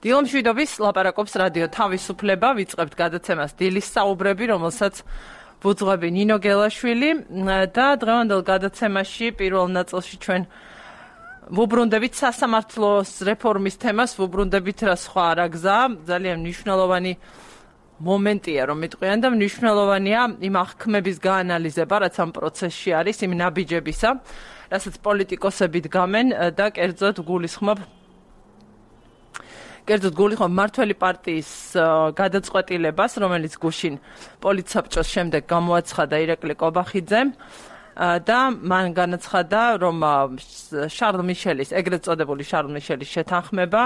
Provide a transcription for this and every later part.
დილომშვიდობის ლაპარაკობს რადიო თავისუფლება, ვიწყებთ გადაცემას დილის საუბრები, რომელსაც ბუძღვები ნინო გელაშვილი და დღევანდელ გადაცემაში პირველ ნაწილში ჩვენ ვუბრუნდებით სასამართლოს რეფორმის თემას, ვუბრუნდებით რა სხვა არა გზა, ძალიან მნიშვნელოვანი მომენტია რომ მიტყვიან და მნიშვნელოვანია იმ აღქმების გაანალიზება, რაც ამ პროცესში არის, იმ ნაბიჯებისა, რასაც პოლიტიკოსები დგამენ და კერძოდ გულისხმობ მმართველი პარტიის გადაწყვეტილებას, რომელიც გუშინ პოლიტსაბჭოს შემდეგ გამოაცხადა ირაკლი კობახიძემ და მან განაცხადა, რომ შარლ მიშელის, ეგრეთ წოდებული შარლ მიშელის შეთანხმება,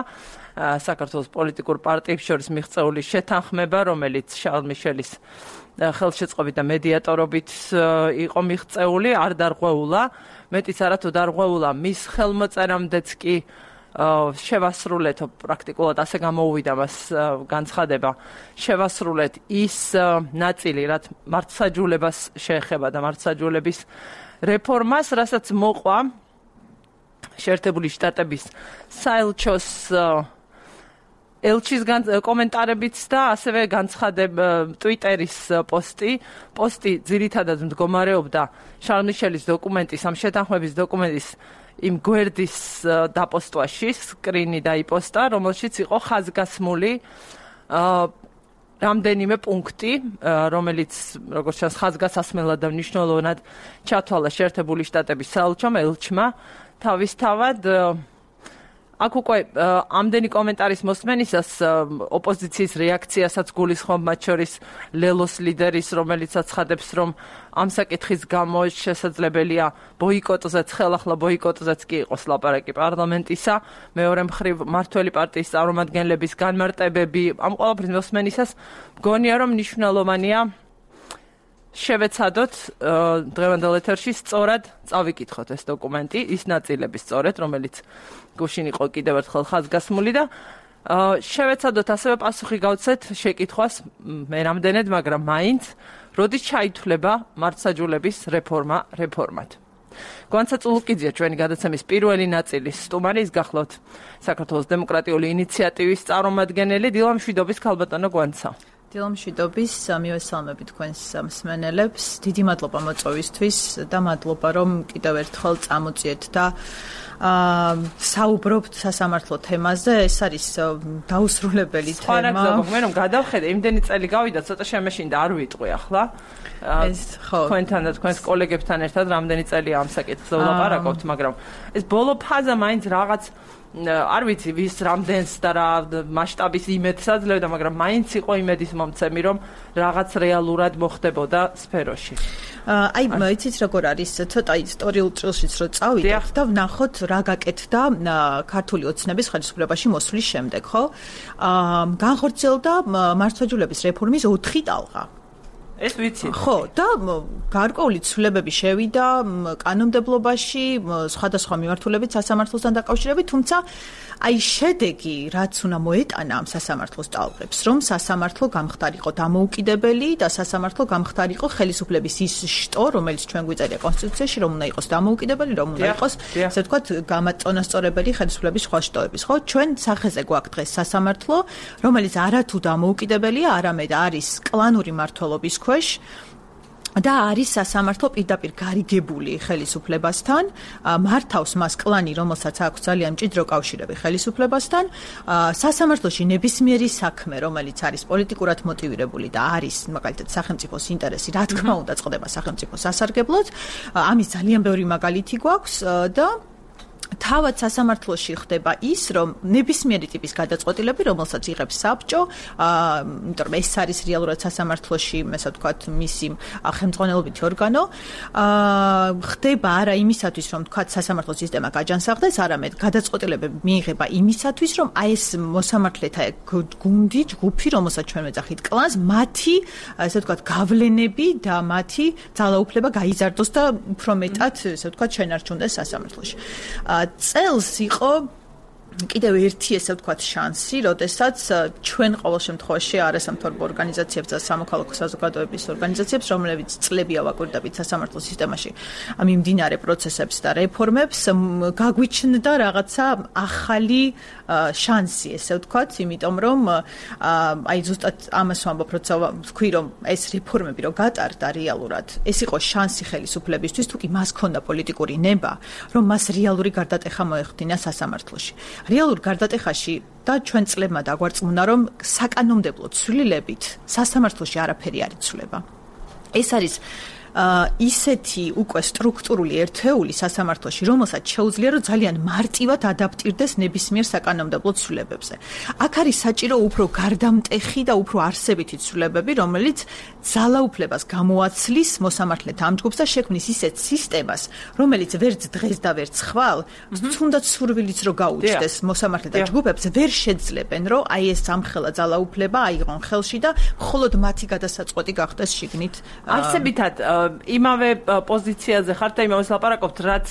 საქართველოს პოლიტიკურ პარტიებს შორის მიღწეული შეთანხმება, რომელიც შარლ მიშელის ხელშეწყობით და მედიატორობით იყო მიღწეული, არ დარღვეულა, მეტიც არა თუ დარღვეულა მის ხელმოწერამდეც კი შევასრულეთ, პრაქტიკულად ასე გამოუვიდა მას განცხადება, შევასრულეთ ის ნაწილი, რაც მართლმსაჯულებას შეეხება და მართლმსაჯულების რეფორმას, რასაც მოყვა შეერთებული შტატების საელჩოს ელჩის კომენტარებიც და ასევე განცხადება ტვიტერის პოსტი ძირითადად მდგომარეობდა შარლ მიშელის დოკუმენტის, ამ შეთანხმების დოკუმენტის იმ გვერდის დაპოსტვაში, სკრინი დაიპოსტა, რომელშიც იყო ხაზგასმული რამდენიმე პუნქტი, რომელიც, როგორც ჩანს, ხაზგასასმელად და მნიშვნელოვნად ჩათვალა შეერთებული შტატების საელჩომ, ელჩმა თავისთავად. აქ უკვე ამდენი კომენტარის მოსმენისას ოპოზიციის რეაქციასაც გულისხმობ, მათ შორის ლელოს ლიდერის, რომელიც აცხადებს, რომ ამ საკითხის გამო შესაძლებელია ბოიკოტზეც, ხელახლა ბოიკოტზეც კი იყოს ლაპარაკი პარლამენტისა, მეორე მხრივ მმართველი პარტიის წარმომადგენლების განმარტებები, ამ ყველაფრის მოსმენისას მგონია, რომ მნიშვნელოვანია შევეცადოთ დღევანდელ ეთერში სწორად წავიკითხოთ ეს დოკუმენტი, ის ნაწილები სწორედ, რომელიც გუშინ იყო კიდევ ერთხელ ხაზგასმული და შევეცადოთ ასევე პასუხი გავცეთ შეკითხვას მე რამდენად, მაგრამ მაინც როდის ჩაითვლება მართლმსაჯულების რეფორმად. გვანცა წულუკიძეა ჩვენი გადაცემის პირველი ნაწილის სტუმარი, ის გახლავთ საქართველოს დემოკრატიული ინიციატივის წარმომადგენელი, დილამშვიდობის ქალბატონო გვანცა. დილამშვიდობის, მივესალმები თქვენს მსმენელებს, დიდი მადლობა მოწვევისთვის და მადლობა რომ კიდევ ერთხელ წამოწიეთ და საუბრობთ სასამართლო თემაზე, ეს არის დაუსრულებელი თემა. მე რომ გადავხედე, იმდენი წელი გავიდა, ცოტა შემეშინდა, არ ვიტყვი ახლა. თქვენთან და თქვენს კოლეგებთან ერთად რამდენი წელია ამ საკითხზე ვლაპარაკობთ, მაგრამ ეს ბოლო ფაზა მაინც რაღაც არ ვიცი ვის რამდენს და რა მასშტაბის იმედს აძლევდა, მაგრამ მაინც იყო იმედის მომცემი, რომ რაღაც რეალურად მოხდებოდა სფეროში. აი, იცით როგორ არის, ცოტა ისტორიულ წრეშიც რო წავიდეთ და ვნახოთ რა გაკეთდა ქართული ოცნების ხელისუფლებაში მოსვლის შემდეგ, ხო? განხორციელდა მართლმსაჯულების რეფორმის 4 ტალღა. ეს ვიცი. ხო, და გარკვეული ცვლილებები შევიდა კანონმდებლობაში, სხვადასხვა მიმართულებით სასამართლოსთან დაკავშირებით, თუმცა აი შედეგი, რაც უნდა მოეტანა ამ სასამართლოს ტალღებს, რომ სასამართლო გამხდარიყო დამოუკიდებელი და სასამართლო გამხდარიყო ხელისუფლების ის შტო, რომელიც ჩვენ გვიწერია კონსტიტუციაში, რომ უნდა იყოს დამოუკიდებელი, რომ უნდა იყოს, ასე ვთქვათ, გამაწონასწორებელი ხელისუფლების სხვა შტოების, ხო? ჩვენ სახეზე გვაქვს დღეს სასამართლო, რომელიც არათუ დამოუკიდებელია, არამედ არის კლანური მმართველობის ქვეშ და არის სასამართლო პირდაპირ გარიგებული ხელისუფლებასთან, მართავს მას კლანი, რომელსაც აქვს ძალიან მჭიდრო კავშირები ხელისუფლებასთან, სასამართლოში ნებისმიერი საქმე, რომელიც არის პოლიტიკურად მოტივირებული და არის, მაგალითად, სახელმწიფოს ინტერესი, რა თქმა უნდა, წყდება სახელმწიფოს სასარგებლოდ, ამის ძალიან ბევრი მაგალითი გვაქვს და თავად სასამართლოში ხდება ის, რომ ნებისმიერი ტიპის გადაწყვეტილები, რომელსაც იღებს საბჭო, იმიტომ რომ ეს არის რეალურად სასამართლოში, ასე ვთქვათ, მისი ხელმძღვანელობითი ორგანო, ხდება არა იმისათვის, რომ ვთქვათ, სასამართლო სისტემა გაჯანსაღდეს, არამედ გადაწყვეტილებები მიიღება იმისათვის, რომ აი ეს მოსამართლეთა გუნდი, ჯგუფი, რომელსაც ჩვენ ვეძახით კლანს, მათი, ასე ვთქვათ, გავლენები და მათი ძალაუფლება გაიზარდოს და უფრო მეტად, ასე ვთქვათ, შენარჩუნდეს სასამართლოში. წელს იყო კიდევ ერთი ესე ვთქვათ შანსი, როდესაც ჩვენ ყოველ შემთხვევაში არასამთავრობო ორგანიზაციებს და სამოქალაქო საზოგადოების ორგანიზაციებს, რომლებიც წლებია ვაკვირდებით სასამართლო სისტემაში მიმდინარე პროცესებს და რეფორმებს, გაგვიჩნდა რაღაცა ახალი შანსი, ესე ვთქვათ, იმიტომ რომ აი ზუსტად ამას ვამბობ, როცა ვთქვი, რომ ეს რეფორმები რო გატარდა რეალურად, ეს იყო შანსი ხელისუფლებისთვის, თუ კი მას ჰქონდა პოლიტიკური ნება, რომ მას რეალური გარდატეხა მოეხდინა სასამართლოში. რეალურ გარდატეხაში და ჩვენ წლებმა დაგვარწმუნა, რომ საკანონმდებლო ცვლილებით სასამართლოში არაფერი არ იცვლება. ეს არის ისეთი უკვე სტრუქტურული ერთეული სასამართლოში, რომელსაც შეუძლია რომ ძალიან მარტივად ადაპტირდეს ნებისმიერ საკანონმდებლო ცვლილებებზე. აქ არის საჭირო უფრო გარდამტეხი და უფრო არსებითი ცვლილებები, რომელიც ძალაუფლებას გამოაცლის მოსამართლეთა ამ ჯგუფს და შექმნის ისეთ სისტემას, რომელიც ვერც დღეს და ვერც ხვალ, თუნდაც სურვილიც რო გაუჩნდეს მოსამართლეთა ჯგუფებს, ვერ შეძლებენ, რომ აი ეს ამხელა ძალაუფლება აიღონ ხელში და მხოლოდ მათი გადასაწყვეტი გახდეს შიგნით. არსებითად იმავე პოზიციაზე ხართ და იმავეს ლაპარაკობთ, რაც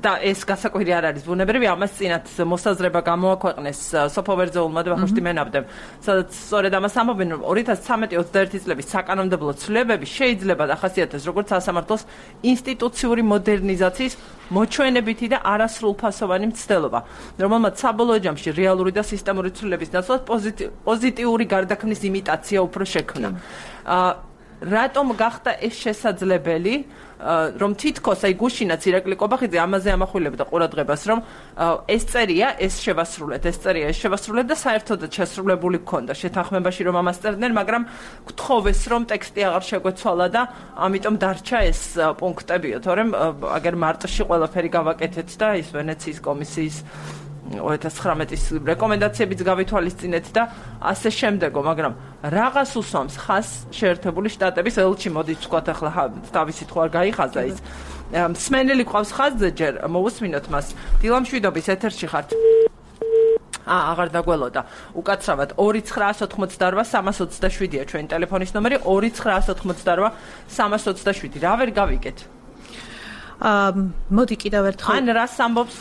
და ეს გასაკვირი არ არის ბუნებრივი, ამას წინათ მოსაზრება გამოაქვეყნეს სოფო ვერძეულმა და ვახუშტი მენაბდემ, სადაც სწორედ ამას ამბობენ, რომ 2013-21 წლების საკანონმდებლო ცვლილებები შეიძლება დახასიათდეს როგორც სასამართლოს ინსტიტუციური მოდერნიზაციის მოჩვენებითი და არასრულფასოვანი მცდელობა, რომელმაც საბოლოო ჯამში რეალური და სისტემური ცვლილების ნაცვლად პოზიტიური გარდაქმნის იმიტაცია უფრო შექმნა. რატომ გახდა ეს შესაძლებელი, რომ თითქოს აი გუშინაც ირაკლი კობახიძე ამაზე ამახვილებდა ყურადღებას, რომ ეს წერია, ეს შევასრულეთ და საერთოდაც შესრულებული გქონდა შეთანხმებაში, რომ ამას წერდნენ, მაგრამ გთხოვეს, რომ ტექსტი აღარ შეგვეცვალა და ამიტომ დარჩა ეს პუნქტებიო, თორემ აგერ მარტში ყველაფერი გავაკეთეთ და ის ვენეციის კომისიის 2019-ის რეკომენდაციებიც გავითვალისწინეთ და ასე შემდეგო, მაგრამ რაღაც უსვამს ხას შეერთებული შტატების ელჩი, მოდით ვთქვათ ახლა თავისით ხო არ გაიხაზა ის. მსმენელი ყავს ხაზზე ჯერ, მოусმინოთ მას. დილამშვიდობის ეთერში ხართ. აღარ დაგველოდა. უკაცრავად 2988327-ია ჩვენი ტელეფონის ნომერი 2988327. რა ვერ გავიგეთ? მოდი კიდევ ერთხელ. ან რას ამბობს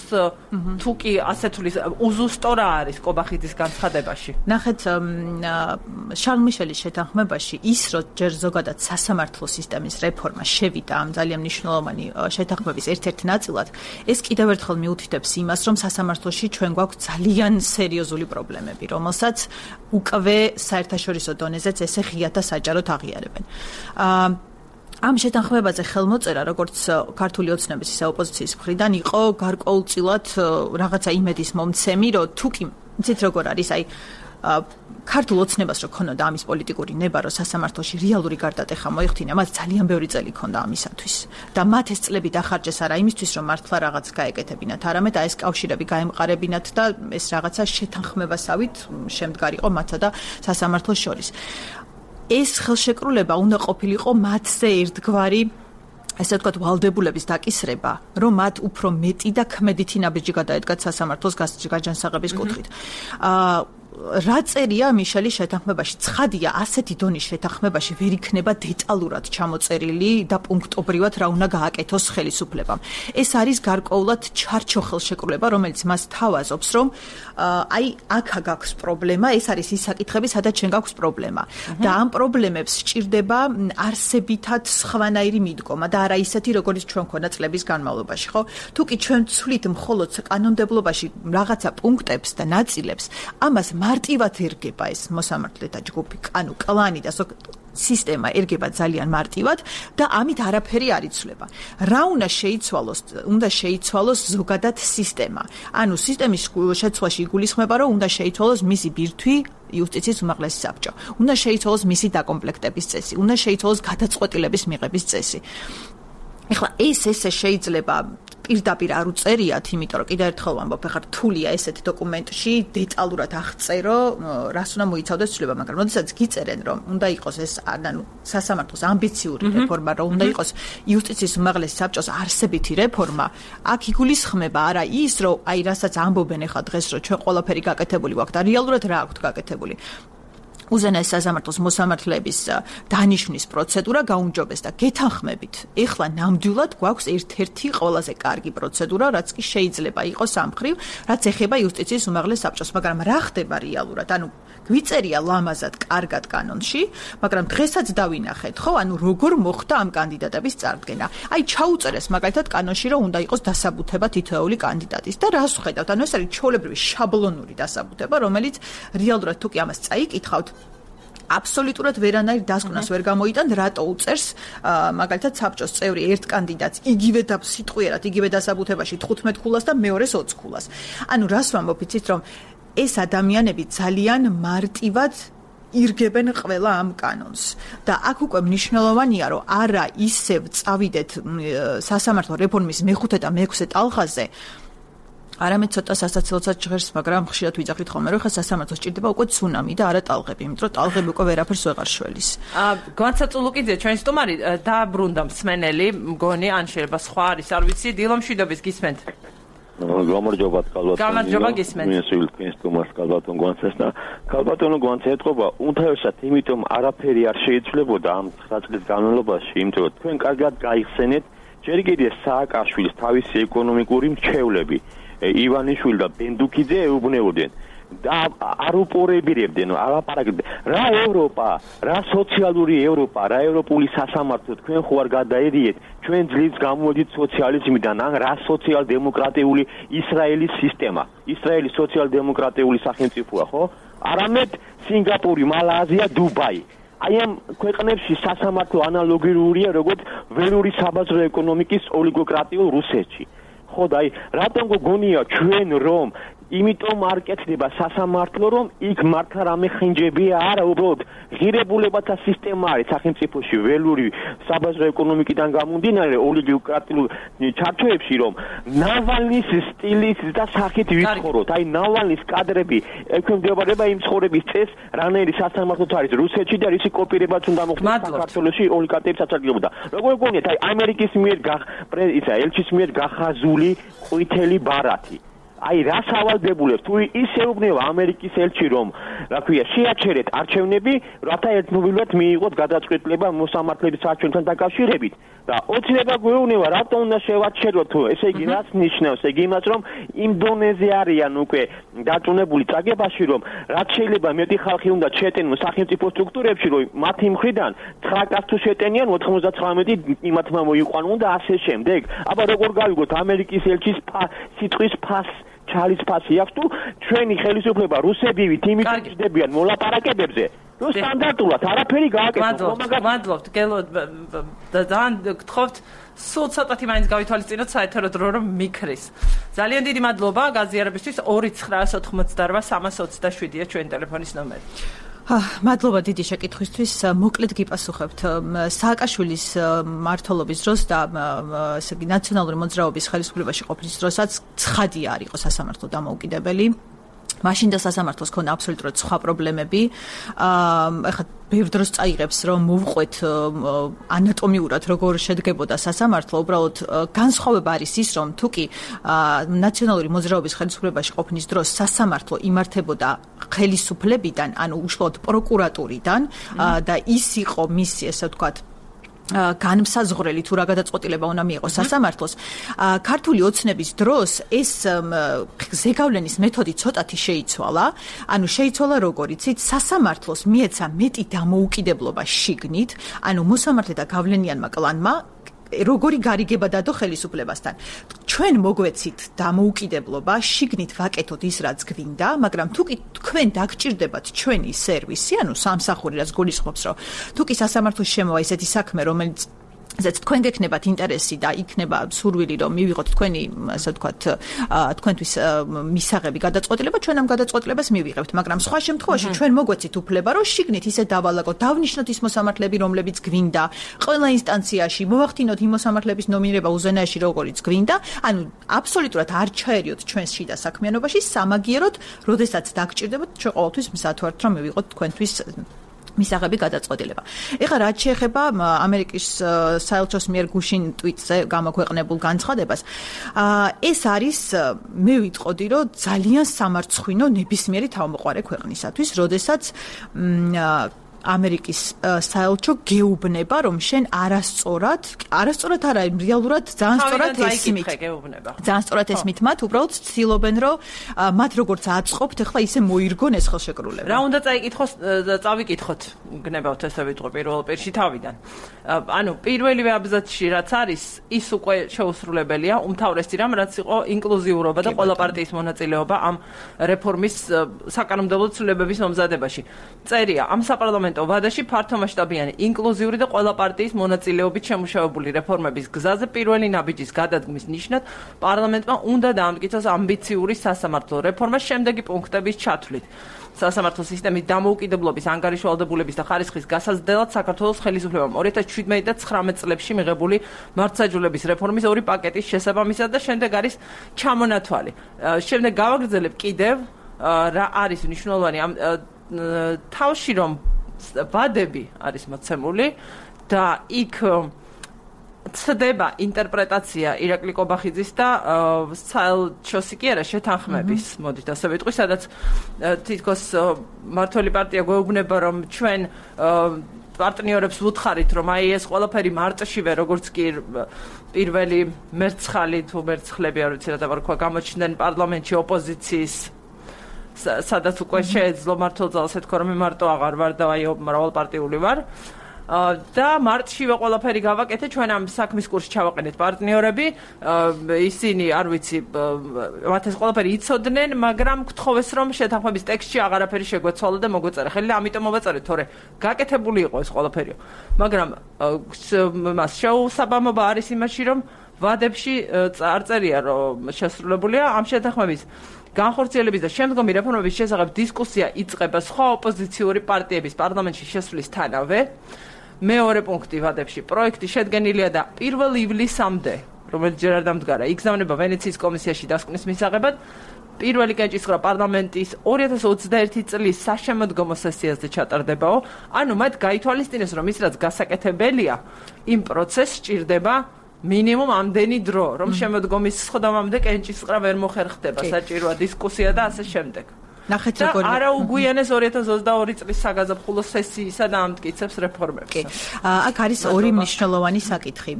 თუ კი ასეთulis უზუსტო რა არის კობახიძის განცხადებაში? ნახეთ, შარლ მიშელის შეთანხმებაში ის, რომ ჯერ ზოგადად სასამართლო სისტემის რეფორმა შევიდა ამ ძალიან მნიშვნელოვანი შეთანხმების ერთ-ერთ ნაწილად, ეს კიდევ ერთხელ მიუთითებს იმას, რომ სასამართლოში ჩვენ გვაქვს ძალიან სერიოზული პრობლემები, რომელსაც უკვე საერთაშორისო დონეზეც ესე ღიად და საჯაროდ აღიარებენ. ამ შეთანხმებაზე ხელმოწერა, როგორც ქართული ოცნების ისე ოპოზიციის მხრიდან იყო გარკვეულწილად რაღაცა იმედის მომცემი, რომ თუ კი იცით როგორ არის, აი ქართულ ოცნებას რო ქონოდა ამის პოლიტიკური ნება, რომ სასამართლოში რეალური გარდატეხა მოიხდინა, მათ ძალიან ბევრი წელი ქონდა ამისათვის. და მათ ეს წლები დახარჯეს არა იმისთვის, რომ მართლა რაღაც გაეკეთებინათ, არამედ ეს კავშირები გაემყარებინათ და ეს რაღაცა შეთანხმებასავით შემდგარიყო მათსა და სასამართლოს შორის. ეს ხელშეკრულება უნდა ყოფილიყო მათზე ერთგვარი, ესე ვთქვათ, ვალდებულების დაკისრება, რომ მათ უფრო მეტი და ქმედითი ნაბიჯი გადაედგათ სასამართლოს გაჯანსაღების კუთხით. რა წერია მიშელის შეთანხმებაში? ცხადია, ასეთი დონის შეთანხმებაში ვერ იქნება დეტალურად ჩამოწერილი და პუნქტობრივად რა უნდა გააკეთოს ხელისუფლებამ. ეს არის გარკვეულად ჩარჩო ხელშეკრულება, რომელიც მას თავაზობს, რომ აი აქ გაქვს პრობლემა, ეს არის ის საკითხები, სადაც ჩვენ გაქვს პრობლემა. და ამ პრობლემებს სჭირდება არსებითად სხვანაირი მიდგომა და არა ისეთი, როგორც ჩვენ ქონდა წლების განმავლობაში, ხო? თუ კი ჩვენ ვცვლით მხოლოდ კანონმდებლობაში რაღაცა პუნქტებს და ნაწილებს, ამას მარტივად ერგება ეს მოსამართლეთა ჯგუფი, ანუ კლანი და სისტემა ერგება ძალიან მარტივად და ამით არაფერი არ იცვლება. რა უნდა შეიცვალოს? უნდა შეიცვალოს ზოგადად სისტემა. ანუ სისტემის შეცვლაში იგულისხმება, რომ უნდა შეიცვალოს მისი ბირთვი, იუსტიციის უმაღლესი საბჭო. უნდა შეიცვალოს მისი დაკომპლექტების წესი, უნდა შეიცვალოს გადაწყვეტილების მიღების წესი. ეხლა ესე შეიძლება პირდაპირ არ უწერიათ, იმიტომ რომ კიდევ ერთხელ ვამბობ, ეხლა რთულია ესეთ დოკუმენტში დეტალურად აღწერო, რას უნდა მოიცავდეს ცვლილება, მაგრამ როდესაც გიწერენ, რომ უნდა იყოს ეს, ანუ სასამართლოს ამბიციური რეფორმა, რომ უნდა იყოს იუსტიციის უმაღლესი საბჭოს არსებითი რეფორმა, აქ იგულისხმება არა ის, რომ აი რასაც ამბობენ ეხლა დღეს, რომ ჩვენ ყველაფერი გაკეთებული გვაქვს და რეალურად რა აქვთ გაკეთებული. უზენაეს სასამართლოს მოსამართლეების დანიშვნის პროცედურა გაუმჯობეს და გეთანხმებით. ეხლა ნამდვილად გვაქვს ერთ-ერთი ყველაზე კარგი პროცედურა, რაც კი შეიძლება იყოს ამ მხრივ, რაც ეხება იუსტიციის უმაღლეს საბჭოს, მაგრამ რა ხდება რეალურად? ანუ გვიწერია ლამაზად, კარგად კანონში, მაგრამ დღესაც დავინახეთ, ხო? ანუ როგორ მოხდა ამ კანდიდატების წარდგენა. აი ჩაუწერეს მაგალითად კანონში, რომ უნდა იყოს დასაბუთება თითოეული კანდიდატის და რას ვხედავთ? ანუ ეს არის ჩვეულებრივი შაბლონური დასაბუთება, რომელიც რეალურად თუ კი ამას წაიკითხავთ, აბსოლუტურად ვერანაირ დასკვნას ვერ გამოიტანთ, რატო უწერს მაგალითად საბჭოს წევრი ერთ კანდიდატს იგივე და სიტყვიერად იგივე დასაბუთებაში 15 ქულას და მეორეს 20 ქულას. ანუ რას ვამბობ, იცით რომ ეს ადამიანები ძალიან მარტივად ირგებენ ყველა ამ კანონს და აქ უკვე მნიშვნელოვანია, რომ არა ისევ წავიდეთ სასამართლო რეფორმის მეხუთე და მეექვსე ტალღაზე, არამედ ცოტა სასაცილოსაც ჟღერს, მაგრამ ხშირად ვიძახით ხოლმე, რომ ხა სასამართლოს ჭირდება უკვე ცუნამი და არა ტალღები, იმიტომ რომ ტალღები უკვე ვერაფერს ვეღარ შველის. განსაცულუკიძე, ჩვენი სტუმარი დააბრუნდა მსმენელი, მგონი, ან შეიძლება სხვა არის, არ ვიცი, დილო მშვიდობის გისმენთ. გამარჯობა კალბატონო. გამარჯობა გისმენთ. მისულ თქვენს სტუმარს კალბატონო გვანცეს და კალბატონო გვანცე ეთყობა, უმთავრესად იმიტომ არაფერი არ შეიცვლებოდა ამ 9 წლის განმავლობაში, იმიტომ რომ თქვენ კარგად გაიხსენეთ, ჯერ კიდევ სააკაშვილის თავისი ეკონომიკური მრჩევლები ივანიშვილი და ბენდუქიძე ეუბნებოდნენ და არ უპორებირებდნენ, ალაპარაკებდნენ. რა ევროპა, რა სოციალური ევროპა, რა ევროპული სასამართლო, თქვენ ხო არ გადაედიეთ, ჩვენ ძლივს გამოვედით სოციალიზმიდან, ან რა სოციალ-დემოკრატიული ისრაელის სისტემა, ისრაელის სოციალ-დემოკრატიული სახელმწიფოა, ხო? არამედ სინგაპური, მალაიზია, დუბაი. აი ამ ქვეყნებში სასამართლო ანალოგიურია, როგორც ველური საბაზრო ეკონომიკის ოლიგოკრატიულ რუსეთში. ხო და აი რატომ გონია ჩვენ რომ იმიტომ არ კეთდება სასამართლო, რომ იქ მართლა რამე ხინჯებია, არა, უბრალოდ ღირებულებათა სისტემა არის სახელმწიფოში ველური საბაზრო ეკონომიკიდან გამომდინარე ოლიგოკრატიულ ჩარჩოებში, რომ ნავალნის სტილის და სახით ვიცხოვროთ. აი ნავალნის კადრები ექვემდებარება იმ ცხოვრების წესს, რანაირი სასამართლოც არის რუსეთში და რისი კოპირებაც უნდა მოხდეს საქართველოში ოლიგოკრატიების საწარგებლობა. როგორ გონიათ, აი ამერიკის მიერ ელჩის მიერ გახაზული ყვითელი ბარათი. აი რა სავალდებულებს თუ ისეუბნება ამერიკის ელჩი რომ რა ქვია შეაჩერეთ არჩევნები რათა ერთმოვილად მიიღოთ გადაწყვეტილება მოსამართლეების არჩევნთან დაკავშირებით და ოცნება გვეუბნება რატომ უნდა შევაჩეროთ თუ ესე იგი რას ნიშნავს ესე იგი იმას რომ იმ დონეზე არიან უკვე დაწუნებული წაგებაში რომ რაც შეიძლება მეტი ხალხი უნდა შეტენონ სახელმწიფო სტრუქტურებში რომ მათი მხრიდან 9 კაცს თუ შეტენიან 99 იმათმა მოიყვანონ და ასე შემდეგ აბა როგორ გავიგოთ ამერიკის 엘ჩის სიტყვის ფას ჩალის ფასი აქვს თუ ჩვენი ხელისუფლება რუსებივით იმით ჯდებიან მოლაპარაკებებზე რომ სტანდარტულად არაფერი გააკეთოს მადლობთ გელო ძალიან გთხოვთ სულ ცოტათი მაინც გავითვალისწინოთ საეთერო დრო რომ მიქრის ძალიან დიდი მადლობა გაზიარებისთვის 2988327-ია ჩვენი ტელეფონის ნომერი მადლობა დიდი შეკითხვისთვის. მოკლედ გიპასუხებთ. სააკაშვილის მმართველობის დროს და ესე იგი ნაციონალური მოძრაობის ხელისუფლებაში ყოფნის დროსაც ცხადი არ იყო სასამართლო დამოუკიდებელი. მაშინ და სასამართლოს ქონდა აბსოლუტურად სხვა პრობლემები. ეხლა ბევრ დროს წაიღებს რომ მოვყვეთ ანატომიურად როგორ შედგებოდა სასამართლო, უბრალოდ განსხვავება არის ის, რომ თუკი ნაციონალური მოძრაობის ხელისუფლებაში ყოფნის დროს სასამართლო იმართებოდა ხელისუფლებიდან, ანუ უშუალოდ პროკურატურიდან და ის იყო მისი, ესე ვთქვათ, განმსაზღვრელი თუ რა გადაწყვეტილება უნდა მიიღოს სასამართლოს. ქართული ოცნების დროს ეს ზეგავლენის მეთოდი ცოტათი შეიცვალა. ანუ შეიცვალა როგორ იცით, სასამართლოს მიეცა მეტი დამოუკიდებლობა შიგნით, ანუ მოსამართლე და გავლენიანმა კლანმა როგორი გარიგება დადო ხელისუფლებასთან. ჩვენ მოგვეცით დამოუკიდებლობა, შიგნით ვაკეთოთ ის, რაც გვინდა, მაგრამ თუ კი თქვენ დაგჭირდებათ ჩვენი სერვისი, ანუ სამსახური, რაც გულისხმობს, რომ თუ კი სასამართლოს შემოვა ისეთი საქმე, რომელიც ზეც თქვენ გექნებათ ინტერესი და იქნება სურვილი რომ მივიღოთ თქვენი ასე ვთქვათ თქვენთვის მისაღები გადაწყვეტილება ჩვენ ამ გადაწყვეტილებას მივიღებთ მაგრამ სხვა შემთხვევაში ჩვენ მოგვეცით უფლება რომ შიგნით ისე დავალაგოთ დავნიშნოთ ის მოსამართლეები რომლებიც გვინდა ყველა ინსტანციაში მოვახდინოთ იმ მოსამართლეების ნომინირება უზენაეში როგორიც გვინდა ანუ აბსოლუტურად არ ჩაერიოთ ჩვენს შიდა საქმიანობაში სამაგიეროდ როდესაც დაგჭირდებათ ჩვენ ყოველთვის მზად ვართ რომ მივიღოთ თქვენთვის მისაღები გადაწყვეტილება. ეხლა რაც შეეხება ამერიკის საელჩოს მიერ გუშინ ტვიტზე გამოქვეყნებულ განცხადებას, ეს არის მე ვიტყოდი, რომ ძალიან სამარცხვინო ნებისმიერი თავმოყარე ქვეყნისათვის, როდესაც ამერიკის საელჩო გეუბნება, რომ შენ არასწორად არა, რეალურად ძალიან სწორად ესმით. ძალიან სწორად ესმით მათ, უბრალოდ ცდილობენ, რომ მათ როგორც აწყობთ, ახლა ისე მოირგონ ეს ხელშეკრულება. რა უნდა წავიკითხოთ, გნებავთ ესე ვიტყვი პირველ პირში თავიდან. ანუ პირველივე აბზაცში რაც არის, ის უკვე შეუსრულებელია, უმთავრესი რამ რაც იყო ინკლუზიურობა და ყველა პარტიის მონაწილეობა ამ რეფორმის საკანონმდებლო ცვლილებების მომზადებაში. წერია ამ საპარლამენტო ვადაში ფართომასშტაბიანი ინკლუზიური და ყველა პარტიის მონაწილეობით შემუშავებული რეფორმების გზაზე პირველი ნაბიჯის გადადგმის ნიშნად პარლამენტმა უნდა დაამტკიცოს ამბიციური სასამართლო რეფორმა შემდეგი პუნქტების ჩათვლით. სასამართლო სისტემის დამოუკიდებლობის, ანგარიშვალდებულების და ხარისხის გასაზრდელად საქართველოს ხელისუფლებამ 2017 და 2019 წლებში მიღებული მართლმსაჯულების რეფორმის ორი პაკეტის შესაბამისად და შემდეგ არის ჩამონათვალი. შემდეგ გავაგრძელებ კიდევ რა არის მნიშვნელოვანი ამ თავში რომ ვადები არის მოცემული და იქ ცდება ინტერპრეტაცია ირაკლი კობახიძის და საელჩოსი კი არა შეთანხმების, მოდით ასე ვიტყვი, სადაც თითქოს მართველი პარტია გვეუბნება, რომ ჩვენ პარტნიორებს ვუთხარით, რომ აი ეს ყველაფერი მარტშივე, როგორც კი პირველი მერცხალი თუ მერცხლები, არ ვიცი რა დავარქვა, გამოჩნდნენ პარლამენტში ოპოზიციის სადაც უკვე შეეძლო მართლმსაჯულს ეთქვა, რომ მე მარტო აღარ ვარ და აი მრავალპარტიული ვარ. და მარტშივე ყველაფერი გავაკეთე, ჩვენ ამ საქმის კურსში ჩავაყენეთ პარტნიორები, ისინი არ ვიცი, მათ ეს ყველაფერი იცოდნენ, მაგრამ გთხოვეს, რომ შეთანხმების ტექსტში აღარაფერი შეგვეცვალა და მოგვეწერა ხელი და ამიტომ მოვაწერეთ, თორე გაკეთებული იყო ეს ყველაფერიო. მაგრამ მას შეუსაბამობა არის იმაში, რომ ვადებში არ წერია, რომ შესრულებულია ამ შეთანხმების განხორციელების და შემდგომი რეფორმების შესახებ დისკუსია იწყება სხვა ოპოზიციური პარტიების პარლამენტში შესვლისთანავე. მეორე პუნქტი ვადებში პროექტი შედგენილია და 1 ივლისამდე, რომელიც ჯერ არ დამდგარა, იგზავნება ვენეციის კომისიაში დასკვნის მისაღებად. პირველი კენჭისყრა პარლამენტის 2021 წლის საშემოდგომო სესიაზე ჩატარდებაო. ანუ მათ გაითვალისწინეს, რომ ის რაც გასაკეთებელია, იმ პროცესს სჭირდება მინიმუმ ამდენი დრო, რომ შემოდგომის სხდომამდე კენჭისყრა ვერ მოხერხდება, საჭიროა დისკუსია და ასე შემდეგ. ნახეთ როგორ არა უგვიანეს 2022 წლის საგაზაფხულო სესიისა და ამტკიცებს რეფორმებს. აქ არის ორი მნიშვნელოვანი საკითხი.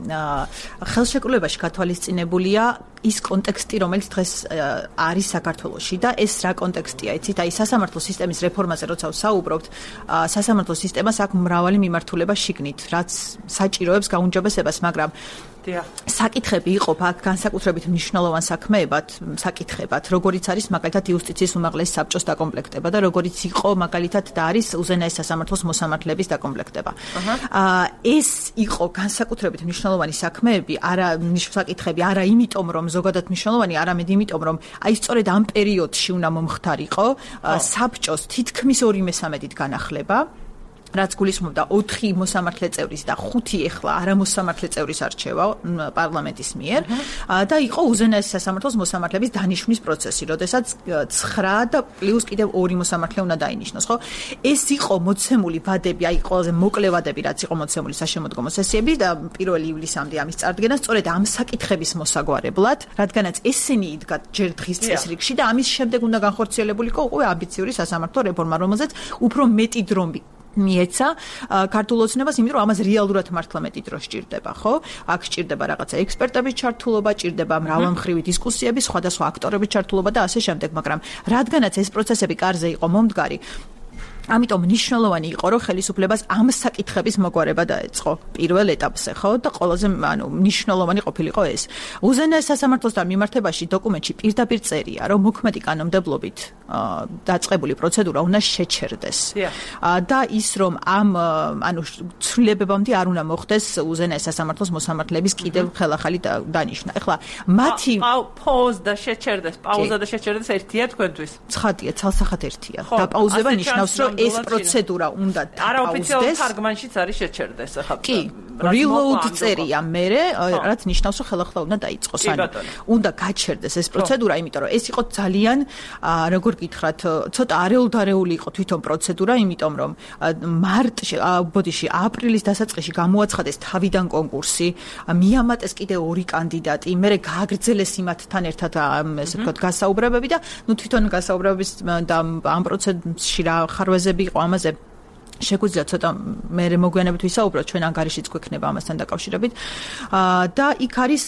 ხელშეკრულებაში გათვალისწინებულია ის კონტექსტი, რომელიც დღეს არის საქართველოში და ეს რა კონტექსტია, იცით? აი სასამართლო სისტემის რეფორმაზე როცა ვსაუბრობთ, სასამართლო სისტემას აქვს მრავალი მიმართულება შიგნით, რაც საჭიროებს გაუმჯობესებას, მაგრამ საკითხები იყოფა აქ განსაკუთრებით მნიშვნელოვან საქმეებად, საკითხებად, როგორიც არის მაგალითად იუსტიციის უმაღლესი საბჭოს დაკომპლექტება და როგორიც იყო მაგალითად და არის უზენაეს სასამართლოს მოსამართლეების დაკომპლექტება. ეს იყო განსაკუთრებით მნიშვნელოვანი საქმეები, არა საკითხები, არა იმიტომ, რომ ზოგადად მნიშვნელოვანი, არამედ იმიტომ, რომ აი სწორედ ამ პერიოდში უნდა მომხდარიყო საბჭოს თითქმის 2/3 განახლება. რაც გულისხმობდა 4 მოსამართლე წევრის და 5 ეხლა არამოსამართლე წევრის არჩევა პარლამენტის მიერ და იყო უზენაეს სასამართლოს მოსამართლეების დანიშვნის პროცესი, როდესაც 9 და პლუს კიდევ 2 მოსამართლე უნდა დაინიშნოს, ხო? ეს იყო მოცემული ვადები, აი ყველაზე მოკლე ვადები, რაც იყო მოცემული საშემოდგომო სესიები და 1 ივლისამდე ამის წარდგენა სწორედ ამ საკითხების მოსაგვარებლად, რადგანაც ესენი იდგა ჯერ დღის წესრიგში და ამის შემდეგ უნდა განხორციელებულიყო უკვე ამბიციური სასამართლო რეფორმა, რომელზეც უფრო მეტი დრო მიეცა ქართულ ოცნებას, იმიტომ რომ ამას რეალურად მართლა მეტი დრო სჭირდება, ხო? აქ სჭირდება რაღაცა ექსპერტების ჩართულობა, სჭირდება მრავალმხრივი დისკუსიები, სხვადასხვა აქტორების ჩართულობა და ასე შემდეგ, მაგრამ რადგანაც ეს პროცესები კარზე იყო მომდგარი, ამიტომ მნიშვნელოვანი იყო, რომ ხელისუფლებას ამ საკითხების მოგვარება დაეწყო პირველ ეტაპზე, ხო? და ყველაზე მნიშვნელოვანი ყოფილიყო ეს. უზენაეს სასამართლოსთან მიმართებაში დოკუმენტში პირდაპირ წერია, რომ მოქმედი კანონმდებლობით დაწყებული პროცედურა უნდა შეჩერდეს. და ის რომ ამ ცვლილებებამდე არ უნდა მოხდეს უზენაეს სასამართლოს მოსამართლეების კიდევ ხელახალი დანიშვნა. ეხლა მათი პაუზა და შეჩერდეს ერთია თქვენთვის. ცხადია, ცალსახად ერთია. და პაუზება ნიშნავს, რომ ეს პროცედურა უნდა არაოფიციალურ თარგმანშიც არის შეჩერდეს ახლა. reload წერია მერე, რაც ნიშნავს, რომ ხელახლა უნდა დაიწყოს. უნდა გაჩერდეს ეს პროცედურა, იმიტომ რომ ეს იყო ძალიან, როგორ გითხრათ, ცოტა არეულდარეული იყო თვითონ პროცედურა, იმიტომ რომ აპრილის დასაწყისში გამოაცხადეს თავიდან კონკურსი, მიამატეს კიდე 2 კანდიდატი, მერე გააგრძელეს იმათთან ერთად ესე ვთქვათ გასაუბრებები და თვითონ გასაუბრებების და ამ პროცესში რა ხარვეზები იყო ამაზე შეგვიძლია ცოტა მე მოგვიანებით ვისაუბროთ ჩვენ ანგარიშიც გვექნება ამასთან დაკავშირებით და იქ არის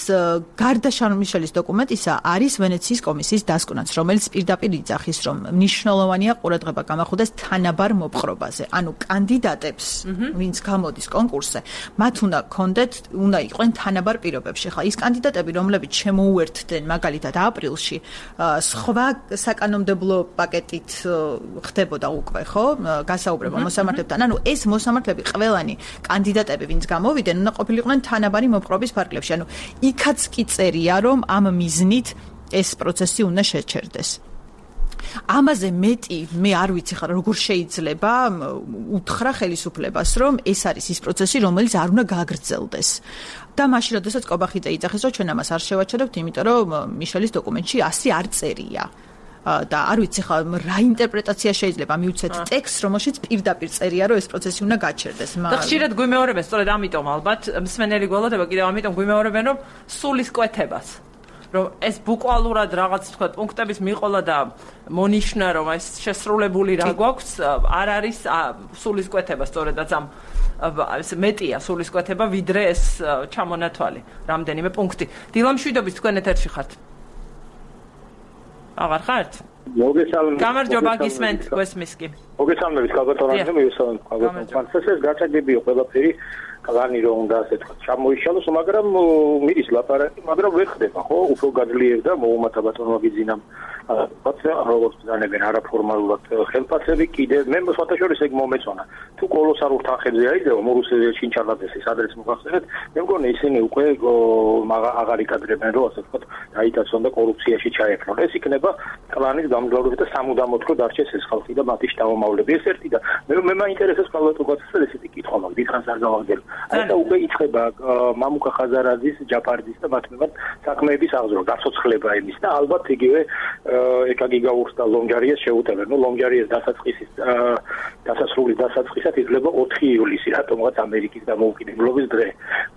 გარდა შარლ-მიშელის დოკუმენტისა არის ვენეციის კომისიის დასკვნაც რომელიც პირდაპირ იძახის რომ მნიშვნელოვანია ყურადღება გამახვილდეს თანაბარ მოპყრობაზე ანუ კანდიდატებს ვინც გამოდის კონკურსზე მათ უნდა იყვნენ თანაბარ პირობებში ხა ის კანდიდატები რომლებიც შემოუერთდნენ მაგალითად აპრილში სხვა საკანონმდებლო პაკეტით ხდებოდა უკვე ხო გასაუბრება მოსამართლეებთან ანუ ეს მოსამართლეები ყველანი კანდიდატები ვინც გამოვიდნენ უნდა ყოფილიყვნენ თანაბარი მოპყრობის ფარგლებში ანუ იქაც კი წერია რომ ამ მიზნით ეს პროცესი უნდა შეჩერდეს ამაზე მეტი მე არ ვიცი ხარ როგორ შეიძლება უთხრა ხელისუფლებას რომ ეს არის ის პროცესი რომელიც არ უნდა გააგრძელდეს და მაშინ როდესაც კობახიძე იძახეს რომ ჩვენ ამას არ შევაჩერებთ იმიტომ რომ მიშელის დოკუმენტში ასე არ წერია და არ ვიცი ხა რა ინტერპრეტაცია შეიძლება მივცეთ ტექსტს რომელშიც პირდაპირ წერია რომ ეს პროცესი უნდა გაჩერდეს და ხშირად გვიმეორებენ სწორედ ამიტომ ალბათ მსმენელი გველოდება კიდევ ამიტომ გვიმეორებენ რომ სულის კვეთებას რომ ეს ბუკვალურად რაღაც თქვა პუნქტების მიყოლა და მონიშნა რომ ეს შესრულებული რა გვაქვს არ არის სულის კვეთება სწორედაც ამ ეს მეტია სულის კვეთება ვიდრე ეს ჩამონათვალი რამდენიმე პუნქტი დილამშვიდობის თქვენ ეთერში ხართ აღარ ხართ? მოგესალმებით. გამარჯობა გისმენთ გვესმის კი. მოგესალმებით კალბატონანზე მივესალმებით კალბატონანს. ეს გაჩაგებია ყველაფერი კლანი რომ უნდა ასე თქვა ჩამოიშალოს, მაგრამ მიდის ლაპარაკი, მაგრამ ვერ ხდება, ხო? უფრო გაძლიერდა მოუმათა ბატონმა გიძინამ როგორც ბრძანებენ არაფორმალურად ხელფასები კიდე მე სხვათაშორის ეგ მომეწონა. თუ კოლოსალურ თანხებზე აიძევა მორუსელი ჩინჩალაძეს ადრეს მოგახსენეთ, მე მგონი ისინი უკვე აღარ იკადრებენ რომ ასე ვთქვათ დაიტაცონ და კორუფციაში ჩაეფრონ. ეს იქნება კლანის გამძლეობით და სამუდამოდ რო დარჩეს ეს ხალხი და მათი შთამომავლები. ეს ერთი და მე მაინტერესებს კალბატონს ესეთი კითხვა მაქვს, დიდხანს არ გავაგდებ. და უკვე იწყება მამუკა ხაზარაძის, ჯაფარძის და მათ მიმართ საქმეების აღზრდა, გაცოცხლება იმის და ალბათ იგივე ეკაგი გაურს და ლონჯარიას შეუტევენ. ნუ ლონჯარიას დასასრულის დასაწყისად იძლება 4 ივლისი, რატომღაც ამერიკის დამოუკიდებლობის დღე.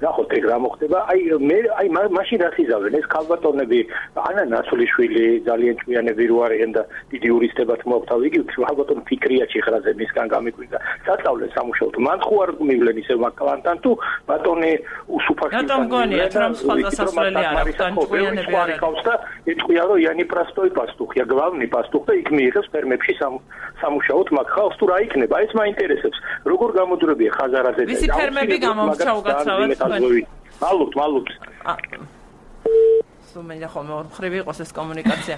ნახოთ ეგ რა მოხდება. აი მაშინ რაც იზავენ ეს კალბატონები, ანა ნაცვლიშვილი ძალიან ჭკვიანები რო არიან და დიდი იურისტებად მოაქვთ. იგივე კალბატონ ფიქრია ჩიხრაძე მისგან გამიკვირდა. საწავლე სამუშაოდ მან ხო არ მივლენ ისევ მაკალანთან თუ ბატონი უსუფაში რატომ გონიათ რომ სხვა დასასვლელი არ აქვს თან ჭკვიანები არ აქვს და ეთქვია რომ იანი პრასტოი პასტუხია გლავნი პასტუხ და იქ მიიღებს ფერმებში სამუშაოდ მაგ ხალხს თუ რა იქნება ეს მაინტერესებს როგორ გამოდრებია ხაზარაძე ვისი ფერმები გამომრჩა უკაცრავად მალუთ სუმენა ხომ ხრივი იყოს ეს კომუნიკაცია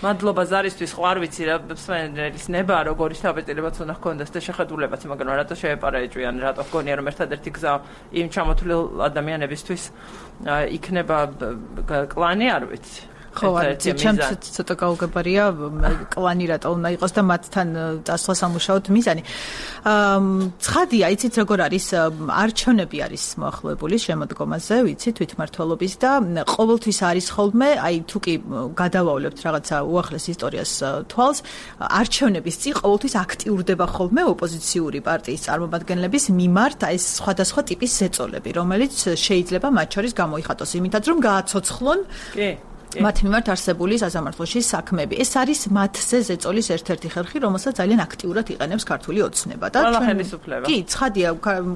მადლობა ზარისთვის ხო არ ვიცი რა მსმენელის ნება როგორი შთაბეჭდილებაც უნდა ჰქონდეს და შეხედულებაც მაგრამ რატო შეეპარაეჭვიან რატო გონია რომ ერთადერთი გზა იმ ჩამოთვლილ ადამიანებისთვის იქნება კლანი არ ვიცი ხო არც ჩემს ცოტა გაუგებარია კლანი რატო უნდა იყოს და მათთან წასვლა სამუშაოდ მიზანი ცხადია იცით როგორ არის არჩევნები არის მოახლოებული შემოდგომაზე ვიცი თვითმმართველობის და ყოველთვის არის ხოლმე აი თუ კი გადავავლებთ რაღაცა უახლეს ისტორიას თვალს არჩევნების წინ ყოველთვის აქტიურდება ხოლმე ოპოზიციური პარტიის წარმომადგენლების მიმართ ეს სხვადასხვა ტიპის ზეწოლები რომელიც შეიძლება მათ შორის გამოიხატოს იმითაც რომ გააცოცხლონ მათ მიმართ არსებული სასამართლოში საქმეები. ეს არის მათზე ზეწოლის ერთ-ერთი ხერხი, რომელსაც ძალიან აქტიურად იყენებს ქართული ოცნება და ყველა ხელისუფლება. კი, ცხადია,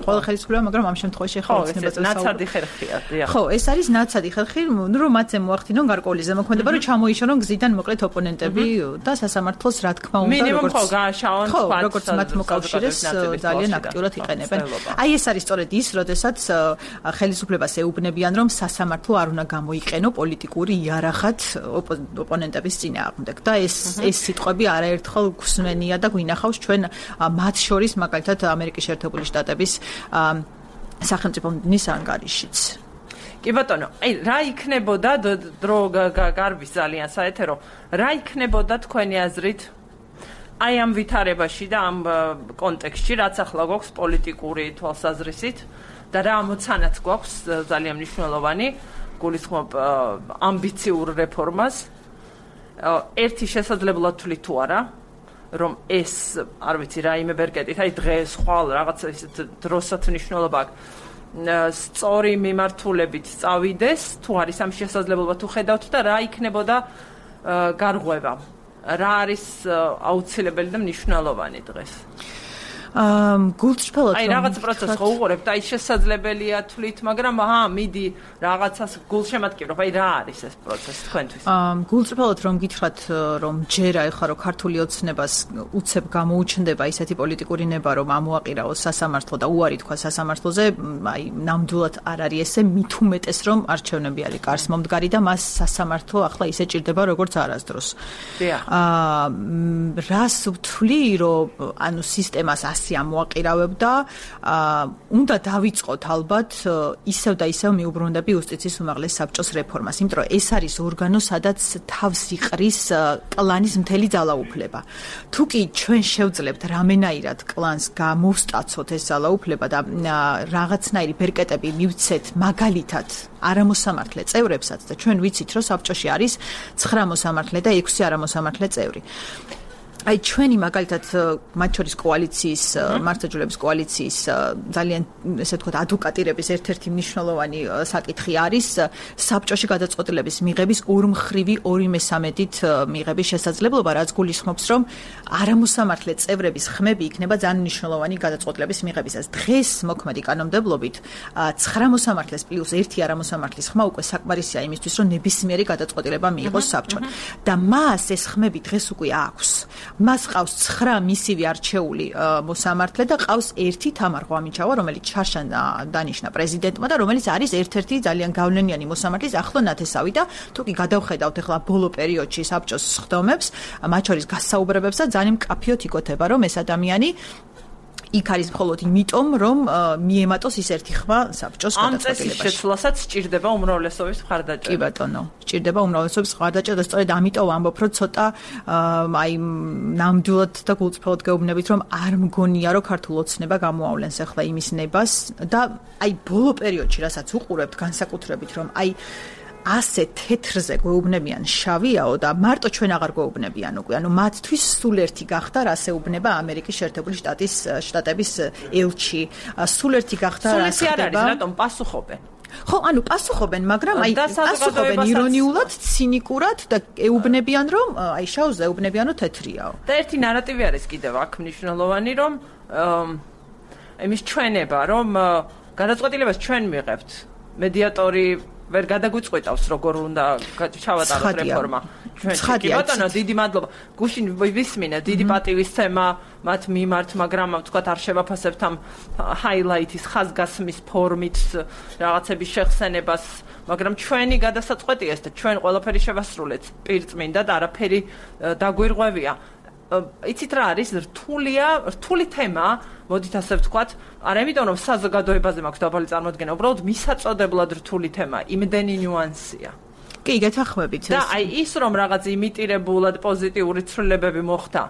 ყველა ხელისუფლება, მაგრამ ამ შემთხვევაში ახლა ოცნებაზე ნაცადი ხერხია, დიახ. ხო, ეს არის ნაცადი ხერხი, რომ მათზე მოახდინონ გარკვეული ზემოქმედება, რომ ჩამოიშორონ გზიდან მოკლედ ოპონენტები და სასამართლოს რა თქმა უნდა, მინიმუმ ხო გააშაონ თქვა, როგორც მათ მოკავშირეს ძალიან აქტიურად იყენებენ. აი ეს არის სწორედ ის, როდესაც ხელისუფლებას ეუბნებიან, რომ სასამართლო არ უნდა გამოიყენო პოლიტიკური რახat ოპონენტების წინააღმდეგ და ეს სიტყვები არაერთხელ გვსმენია და გვინახავს ჩვენ მათ შორის მაგალითად ამერიკის შეერთებული შტატების სახელმწიფო მინისტრის ანგარიშიც. კი ბატონო, აი რა იქნებოდა დრო გარბის ძალიან საეთერო, რა იქნებოდა თქვენი აზრით აი ამ ვითარებაში და ამ კონტექსტში რაც ახლა გვაქვს პოლიტიკური თვალსაზრისით და რა ამოცანაც გვაქვს ძალიან მნიშვნელოვანი გულისხმობ ამბიციურ რეფორმას ერთი შესაძლებლად თვლით თუ არა რომ ეს არ ვიცი რაიმე ბერკეტით აი დღეს ხვალ რაღაცა ისეთ დროსაც მნიშვნელობა აქვს სწორი მიმართულებით წავიდეს თუ არის ამ შესაძლებლობა თუ ხედავთ და რა იქნებოდა გარღვევა რა არის აუცილებელი და მნიშვნელოვანი დღეს გულწრფელად აი რაღაც პროცესს ხო უყურებთ აი შესაძლებელია თვლით მაგრამ მიდი რაღაცას გულშემატკივრობ აი რა არის ეს პროცესი თქვენთვის გულწრფელად რომ გითხრათ რომ ჯერა ეხლა რომ ქართული ოცნებას უცებ გამოუჩნდება ისეთი პოლიტიკური ნება რომ ამოაყირაოს სასამართლო და უარი თქვა სასამართლოზე აი ნამდვილად არ არის ესე მით უმეტეს რომ არჩევნები არის კარს მომდგარი და მას სასამართლო ახლა ისე ჭირდება როგორც არასდროს რას ვთვლი რომ ანუ სისტემას ამოაყირავებდა უნდა დავიწყოთ ალბათ ისევ და ისევ მიუბრუნდები იუსტიციის უმაღლეს საბჭოს რეფორმას იმიტომ რომ ეს არის ორგანო სადაც თავს იყრის კლანის მთელი ძალაუფლება თუ კი ჩვენ შევძლებთ რამენაირად კლანს გამოვსტაცოთ ეს ძალაუფლება და რაღაცნაირი ბერკეტები მივცეთ მაგალითად არამოსამართლე წევრებსაც და ჩვენ ვიცით რომ საბჭოში არის 9 მოსამართლე და 6 არამოსამართლე წევრი აი ჩვენი მაგალითად მათ შორის კოალიციის მართლმსაჯულების კოალიციის ძალიან ესე ვთქვათ ადვოკატირების ერთ-ერთი მნიშვნელოვანი საკითხი არის საბჭოში გადაწყვეტილების მიღების ორმხრივი 2/3-ით მიღების შესაძლებლობა რაც გულისხმობს რომ არამოსამართლე წევრების ხმები იქნება ძალიან მნიშვნელოვანი გადაწყვეტილების მიღებისას დღეს მოქმედი კანონმდებლობით 9 მოსამართლეს პლუს 1 არამოსამართლის ხმა უკვე საკმარისია იმისთვის რომ ნებისმიერი გადაწყვეტილება მიიღოს საბჭომ და მას ეს ხმები დღეს უკვე აქვს მას ყავს 9 მისივე არჩეული მოსამართლე და ყავს 1 თამარ ღვამიჩავა, რომელიც ჩარშან დანიშნა პრეზიდენტმა და რომელიც არის ერთ-ერთი ძალიან გავლენიანი მოსამართლის ახლო ნათესავი და თუ კი გადავხედავთ ახლა ბოლო პერიოდში საბჭოს სხდომებს, მათ შორის გასაუბრებებს და ძალიან მკაფიოდ იკოთება, რომ ეს ადამიანი იქ არის მხოლოდ იმიტომ, რომ მიემატოს ის ერთი ხმა საბჭოს გადაწყვეტილებაში. ამ წესის შეცვლასაც სჭირდება უმრავლესობის მხარდაჭერა. კი ბატონო, სჭირდება უმრავლესობის მხარდაჭერა და სწორედ ამიტომ ვამბობ, რომ ცოტა აი ნამდვილად და გულწრფელად გეუბნებით, რომ არ მგონია, რომ ქართულ ოცნება გამოავლენს ახლა იმის ნებას და აი ბოლო პერიოდში, რასაც უყურებთ განსაკუთრებით, რომ აი ასე თეთრზე გვეუბნებიან შავიაო და მარტო ჩვენ აღარ გვეუბნებიან უკვე. ანუ მათთვის სულ ერთი გახდა რას ეუბნება ამერიკის შეერთებული შტატების ელჩი. სულ ერთი გახდა რას ხდება. სულ არ არის, რატომ პასუხობენ? ხო, ანუ პასუხობენ, მაგრამ აი პასუხობენ ირონიულად, ცინიკურად და ეუბნებიან რომ აი შავზე ეუბნებიან რომ თეთრიაო. და ერთი ნარატივი არის კიდევ აქ მნიშვნელოვანი რომ იმის ჩვენება რომ გადაწყვეტილებას ჩვენ მიღებთ. მედიატორი ვერ გადაგვიწყვეტავს როგორ უნდა ჩავატაროთ რეფორმა. კი ბატონო, დიდი მადლობა. გუშინ ვისმინე, დიდი პატივისცემა მათ მიმართ, მაგრამ ვთქვათ არ შევაფასებთ ამ ჰაილაითის ხაზგასმის ფორმით რაღაცების შეხსენებას, მაგრამ ჩვენი გადასაწყვეტია ეს და ჩვენ ყველაფერი შევასრულეთ პირწმინდა და არაფერი დაგვირღვევია. იცით რა არის რთული თემა, მოდით ასე ვთქვათ, არა იმიტომ რომ საზოგადოებაზე მაქვს დაბალი წარმოდგენა, უბრალოდ მისაწოდებლად რთული თემა, იმდენი ნიუანსია. კი, გეთანხმებით. და აი ის რომ რაღაც იმიტირებულად პოზიტიური ცვლილებები მოხდა,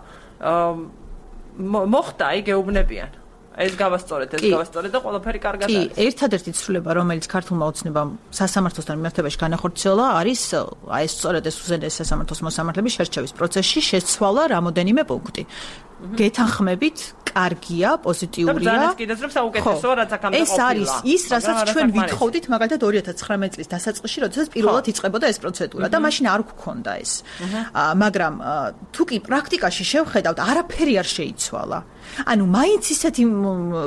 აი გეუბნებიან. ეს გავასწორეთ და ყველაფერი კარგად არის. კი, ერთადერთი ცვლილება, რომელიც ქართულმა ოცნებამ სასამართლოსთან მიმართებაში განახორციელა, არის აი სწორედ ეს უზენაეს სასამართლოს მოსამართლების შერჩევის პროცესში შეცვალა რამოდენიმე პუნქტი. გეთანხმებით, კარგია, პოზიტიურია. ეს არის ის, რასაც ჩვენ ვითხოვდით, მაგალითად 2019 წლის დასაწყისში, როდესაც პირველად იწყებოდა ეს პროცედურა და მაშინ არ გქონდა ეს. მაგრამ თუ კი პრაქტიკაში შევხედავთ, არაფერი არ შეიცვალა. ანუ მაინც ისეთი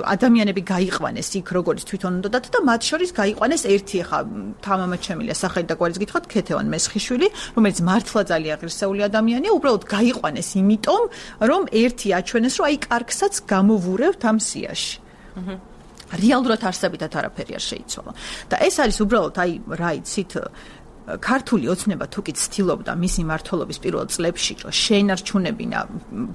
ადამიანები გაიყვანეს იქ, როგორც თვითონ უნდათ და მათ შორის გაიყვანეს ერთი ხა თამამად შემილია სახელი და გვარის გითხრათ ქეთევან მესხიშვილი, რომელიც მართლა ძალიან ღირსეული ადამიანია, უბრალოდ გაიყვანეს იმიტომ, რომ ერთი აჩვენეს, რომ აი კარგსაც გამოვურევთ ამ სიაში. რეალურად არსებითად არაფერი არ შეიცვალა. და ეს არის უბრალოდ აი რა იცით ქართული ოცნება თუ კი ცდილობდა მისი მმართველობის პირველ წლებში რომ შეენარჩუნებინა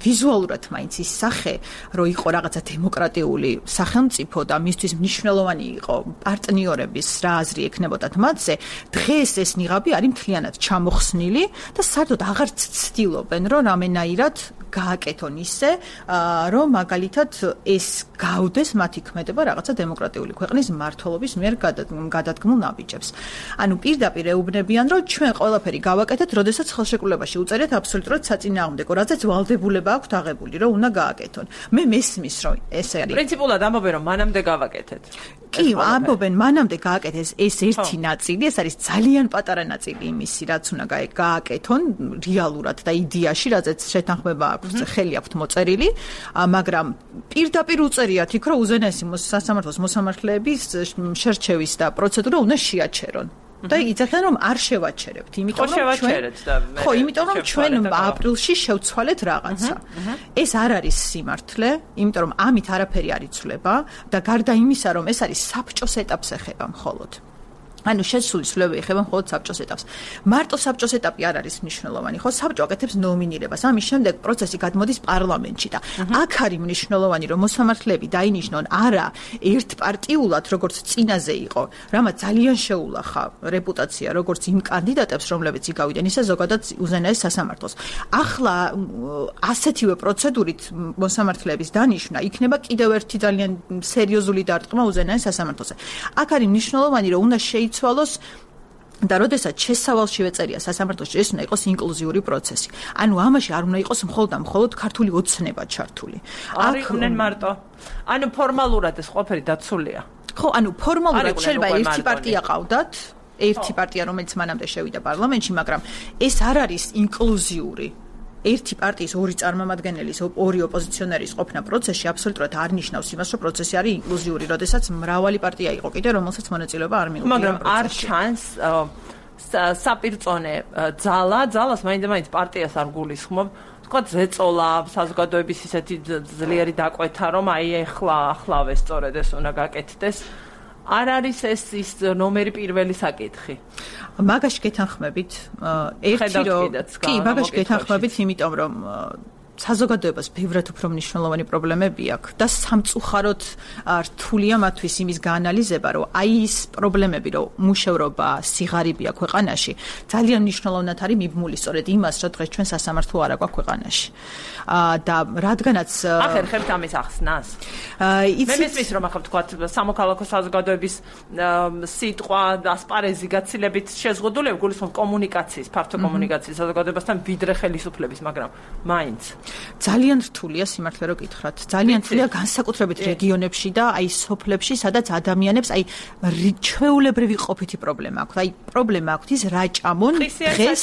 ვიზუალურად მაინც ის სახე რომ იყო რაღაცა დემოკრატიული სახელმწიფო და მისთვის მნიშვნელოვანი იყო პარტნიორების რა აზრი ექნებოდათ მათზე დღეს ეს ნიღაბი არის მთლიანად ჩამოხსნილი და საერთოდ აღარც ცდილობენ რომ რამენაირად გააკეთონ ისე, რომ მაგალითად ეს გავდეს მათი ქმედება რაღაცა დემოკრატიული ქვეყნის მმართველობის მიერ გადადგმულ ნაბიჯებს. ანუ პირდაპირ ეუბნებიან, რომ ჩვენ ყველაფერი გავაკეთეთ, როდესაც ხელშეკრულებაში უწერიათ აბსოლუტურად საწინააღმდეგო, რაზეც ვალდებულება აქვთ აღებული, რომ უნდა გააკეთონ. მე მესმის, რომ ეს არის. პრინციპულად ამბობენ, რომ მანამდე გავაკეთეთ. კი, ამბობენ, მანამდე გააკეთეს ეს ერთი ნაწილი, ეს არის ძალიან პატარა ნაწილი იმისი, რაც უნდა გააკეთონ რეალურად და იდეაში, რაზეც შეთანხმება აქვს, ხელი აქვთ მოწერილი, მაგრამ პირდაპირ უწერიათ იქ, რომ უზენაესი სასამართლოს მოსამართლეების შერჩევის და პროცედურა უნდა შეაჩერონ. და იცახიან რომ არ შევაჩერებთ, იმიტომ რომ ჩვენ აპრილში შევცვალეთ რაღაცა. ეს არ არის სიმართლე, იმიტომ რომ ამით არაფერი არ იცვლება და გარდა იმისა, რომ ეს არის საბჭოს ეტაპს ეხება მხოლოდ. ანუ შესული ცვლილებები ეხება მხოლოდ საბჭოს ეტაპს. მარტო საბჭოს ეტაპი არ არის მნიშვნელოვანი, ხო? საბჭო აკეთებს ნომინირებას. ამის შემდეგ პროცესი გადმოდის პარლამენტში და აქ არის მნიშვნელოვანი, რომ მოსამართლეები დაინიშნონ არა ერთპარტიულად, როგორც წინაზე იყო, რამაც ძალიან შეულახა რეპუტაცია, როგორც იმ კანდიდატებს, რომლებიც იგავიდნენ, ისე ზოგადად უზენაეს სასამართლოს. ახლა ასეთივე პროცედურით მოსამართლეების დანიშვნა იქნება კიდევ ერთი ძალიან სერიოზული დარტყმა უზენაეს სასამართლოზე. აქ არის მნიშვნელოვანი, რომ უნდა შეიცვალოს და როდესაც შესავალშივე წერია სასამართლოში, ეს უნდა იყოს ინკლუზიური პროცესი. ანუ ამაში არ უნდა იყოს მხოლოდ ქართული ოცნება ჩართული. არ იყვნენ მარტო. ანუ ფორმალურად ეს ყველაფერი დაცულია. ხო, ანუ ფორმალურად შეიძლება ერთი პარტია ყავდათ, ერთი პარტია, რომელიც მანამდე შევიდა პარლამენტში, მაგრამ ეს არ არის ინკლუზიური. ერთი პარტიის ორი წარმომადგენლის, ორი ოპოზიციონერის ყოფნა პროცესში აბსოლუტურად არ ნიშნავს იმას, რომ პროცესი არის ინკლუზიური, როდესაც მრავალი პარტია იყო კიდე, რომელსაც მონაწილეობა არ მიუღია. მაგრამ არ ჩანს საპირწონე ძალას მაინც პარტიას არ გულისხმობ. თქვათ ზეწოლა, საზოგადოების ისეთი ძლიერი დაკვეთა, რომ აი ახლავე სწორედ ეს უნდა გაკეთდეს. არ არის ეს ის ნომერი პირველი საკითხი. მაგაში გეთანხმებით, მაგაში გეთანხმებით, იმიტომ რომ საზოგადოებას ბევრად უფრო მნიშვნელოვანი პრობლემები აქვს და სამწუხაროდ რთულია მათთვის იმის გაანალიზება, რომ აი ის პრობლემები, რომ მუშევრობა, სიღარიბეა ქვეყანაში, ძალიან მნიშვნელოვნად არის მიბმული სწორედ იმას, რომ დღეს ჩვენ სასამართლო არ აქვს ქვეყანაში. და რადგანაც ახერხებთ ამის ახსნას. მე მესმის რომ ახლა თქვა სამოქალაქო საზოგადოების სიტყვა და ასპარეზი გაცილებით შეზღუდული გულისხმობ კომუნიკაციის, ფართო კომუნიკაციის საზოგადოებასთან ვიდრე ხელისუფლების, მაგრამ მაინც ძალიან რთულია სიმართლე რო გითხრათ. ძალიან რთულია განსაკუთრებით რეგიონებში და აი სოფლებში, სადაც ადამიანებს აი ჩვეულებრივი ყოფითი პრობლემა აქვს. აი პრობლემა აქვს ის რაჭამონ დღეს.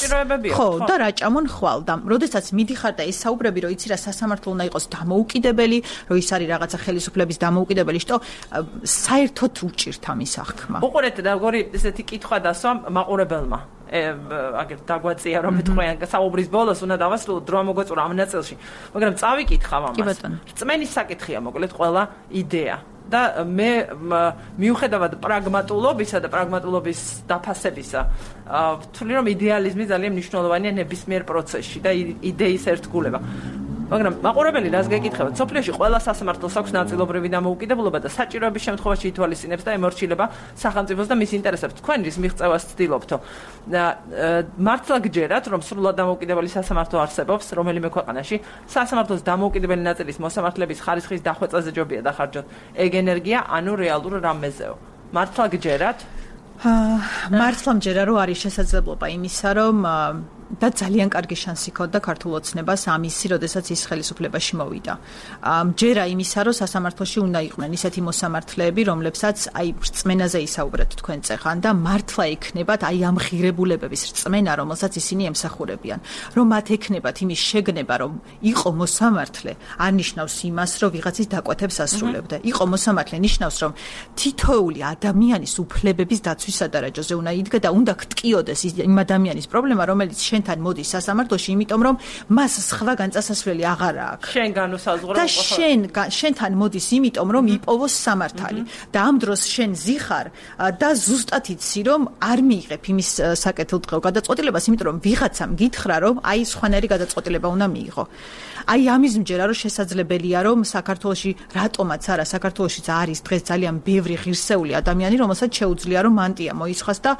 ხო, და რაჭამონ ხვალ და როდესაც მიდიხარ და ესაუბრები რომ იცი რა სასამართლო უნდა იყოს დამოუკიდებელი, რომ ის არის რაღაცა ხელისუფლების დამოუკიდებელი, што საერთოდ უჭირთ ამის აღქმა. უყურეთ და როგორი ესეთი კითხვა დასვა მაყურებელმა. აგერ დაგვაწია რომ მეტყვიან საუბრის ბოლოს უნდა დავასრულოთ დრო მოგეწურა ამ ნაწილში, მაგრამ წავიკითხავ ამას. რწმენის საკითხია მოკლედ ყველა იდეა. და მე მიუხედავად პრაგმატულობისა და პრაგმატულობის დაფასებისა, ვთვლი რომ იდეალიზმი ძალიან მნიშვნელოვანია ნებისმიერ პროცესში და იდეის ერთგულება. მაგრამ მაყურებელი რას გეკითხება? სოფლიოში ყველა სასამართლოს აქვს ნაწილობრივი დამოუკიდებლობა და საჭიროების შემთხვევაში ითვალისწინებს და ემორჩილება სახელმწიფოს და მის ინტერესებს. თქვენ რის მიღწევას ცდილობთო? მართლა გჯერათ, რომ სრულად დამოუკიდებელი სასამართლო არსებობს რომელიმე ქვეყანაში, სასამართლოს დამოუკიდებელი ნაწილის მოსამართლების ხარისხის დახვეწაზე ჯობია დახარჯოთ ეგ ენერგია, ანუ რეალურ რამეზეო. მართლა გჯერათ? მართლა მჯერა, რომ არის შესაძლებლობა იმისა, რომ და ძალიან კარგი შანსი ჰქონდა ქართულ ოცნებას ამისი, როდესაც ის ხელისუფლებაში მოვიდა. მჯერა იმისა, რომ სასამართლოში უნდა იყვნენ ისეთი მოსამართლეები, რომლებსაც აი რწმენაზე ისაუბრეთ თქვენ წეხან და მართლა ექნებათ აი ამ ღირებულებების რწმენა, რომელსაც ისინი ემსახურებიან. რომ მათ ექნებათ იმის შეგნება, რომ იყო მოსამართლე, არ ნიშნავს იმას, რომ ვიღაცის დაკვეთებს ასრულებდა. იყო მოსამართლე ნიშნავს, რომ თითოეული ადამიანის უფლებების დაცვის სადარაჯოზე უნდა იდგა და უნდა გტკიოდეს იმ ადამიანის პრობლემა, რომელიც შენთან მოდის სასამართლოში, იმიტომ რომ მას სხვა განწასასვლელი აღარ აქვს. შენ განუსაზღვრო და შენთან მოდის, იმიტომ რომ იპოვოს სამართალი. და ამ დროს შენ ზიხარ და ზუსტად იცი, რომ არ მიიღებ იმის საკეთილდღეო გადაწყვეტილებას, იმიტომ რომ ვიღაცამ გითხრა, რომ აი სხვანაირი გადაწყვეტილება უნდა მიიღო. აი ამის მჯერა, რომ შესაძლებელია, რომ საქართველოში რატომაც არა, საქართველოშიც არის დღეს ძალიან ბევრი ღირსეული ადამიანი, რომელსაც შეუძლია, რომ მანტია მოისხას და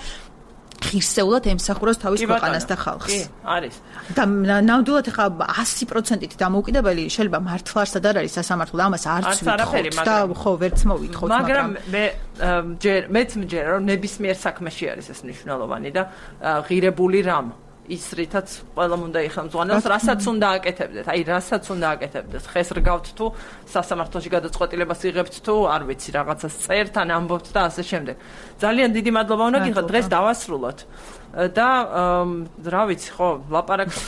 ღირსეულად ემსახუროს თავის ქვეყანას და ხალხს. კი, არის. და ნამდვილად ხა 100%-ით დამოუკიდებელი შეიძლება მართლა არსად არ არის სასამართლო და ამას არც ვიტყობთ და ხო ვერც მოვითხოვთ, მაგრამ მეც მჯერა რომ ნებისმიერ საქმეში არის ეს მნიშვნელოვანი და ღირებული რამ ის რითაც ყველამ უნდა იხელმძღვანელოს, რასაც უნდა აკეთებდეთ. აი, რასაც უნდა აკეთებდეთ. ხეს რგავთ თუ სასამართლოში გადაწყვეტილებას იღებთ თუ არ ვიცი, რაღაცას წერთ ან ამბობთ და ასე შემდეგ. ძალიან დიდი მადლობა უნდა გიხოთ, დღეს დავასრულოთ. და რა ვიცი, ხო, ლაპარაკს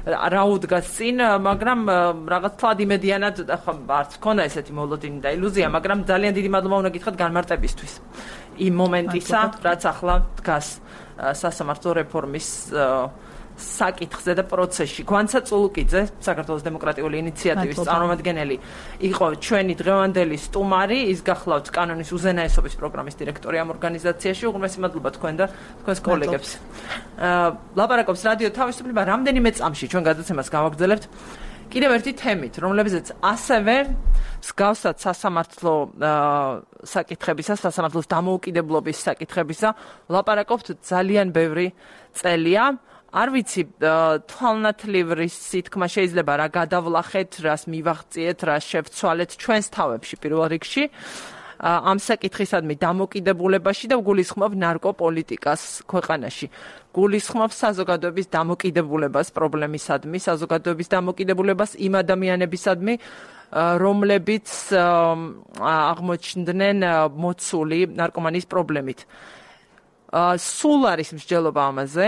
რა უდგას წინ, მაგრამ რაღაც თვად იმედიანად ხო არც მქონდა ესეთი მოლოდინი და ილუზია, მაგრამ ძალიან დიდი მადლობა უნდა გითხრათ განმარტებისთვის. იმ მომენტისა, რაც ახლა დგას სასამართლო რეფორმის საკითხზე და პროცესში. გვანცა წულუკიძე, საქართველოს დემოკრატიული ინიციატივის წარმომადგენელი, იყო ჩვენი დღევანდელი სტუმარი, ის გახლავთ კანონის უზენაესობის პროგრამის დირექტორი ამ ორგანიზაციაში. უღრმესი მადლობა თქვენ და თქვენს კოლეგებს. ლაპარაკობს რადიო თავისუფლება რამდენიმე წამში ჩვენ გადაცემას გავაგრძელებთ კიდევ ერთი თემით, რომლებზეც ასევე მსგავსად სასამართლო საკითხებისა, სასამართლოს დამოუკიდებლობის საკითხებისა ლაპარაკობთ ძალიან ბევრი წელია. არ ვიცი, თვალნათლივ სითქმა შეიძლება რა გადავლახეთ, რას მივაღწიეთ, რას შევცვალეთ ჩვენს თავებში პირველ რიგში. ამ საკითხისადმი დამოკიდებულებაში და გულისხმობ ნარკოპოლიტიკას ქვეყანაში. გულისხმობ საზოგადოების დამოკიდებულებას პრობლემისადმი, საზოგადოების დამოკიდებულებას იმ ადამიანებისადმი, რომლებიც აღმოჩნდნენ მოცული ნარკომანიის პრობლემით. სულ არის მსჯელობა ამაზე,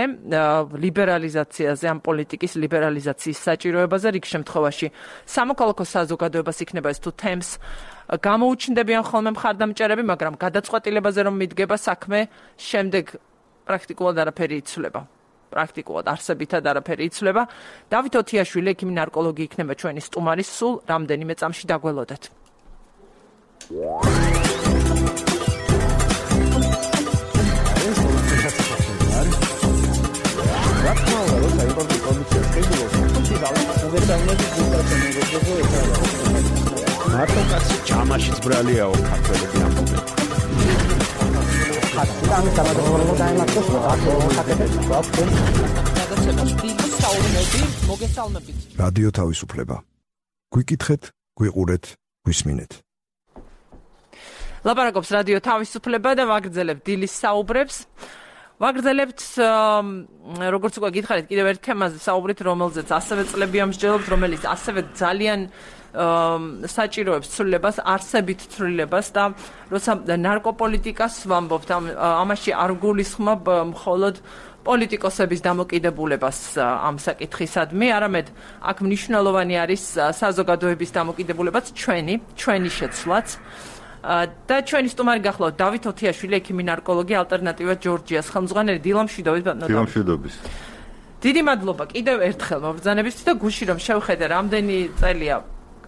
ლიბერალიზაციაზე, ამ პოლიტიკის ლიბერალიზაციის საჭიროებაზე, რიგ შემთხვევაში სამოქალაქო საზოგადოებას იქნება ეს თუ თემს გამოუჩნდებიან ხოლმე მხარდამჭერები, მაგრამ გადაწყვეტილებაზე რომ მიდგება საქმე, შემდეგ პრაქტიკულად არაფერი იცვლება. პრაქტიკულად არსებითად არაფერი იცვლება. დავით ოთიაშვილი, ექიმი ნარკოლოგი იქნება ჩვენი სტუმარი, სულ რამდენიმე წამში დაგველოდეთ. მარტო კაცი ჯამაშიც ბრალიაო ქართველები ამბობენ. რადიო თავისუფლება. გვიკითხეთ, გვიყურეთ, გვისმინეთ. ლაპარაკობს რადიო თავისუფლება და ვაგრძელებთ დილის საუბრებს. ვაგრძელებთ, როგორც უკვე გითხარით, კიდევ ერთ თემაზე საუბრით, რომელზეც ასევე წლები ამსჯელობთ, რომელიც ასევე ძალიან საჭიროებს ცვლილებას, არსებით ცვლილებას და როცა ნარკოპოლიტიკას ვამბობთ, ამაში არ გულისხმობ მხოლოდ პოლიტიკოსების დამოკიდებულებას ამ საკითხისადმი, არამედ აქ მნიშვნელოვანი არის საზოგადოების დამოკიდებულებაც, ჩვენი შეცვლაც. და ჩვენი სტუმარი გახლავთ დავით ოთიაშვილი, ექიმი ნარკოლოგი, ალტერნატივა ჯორჯიას ხელმძღვანელი. დილამშვიდობით. დილამშვიდობის. დიდი მადლობა კიდევ ერთხელ მობრძანებისთვის და გუში რომ შევხედე რამდენი წელია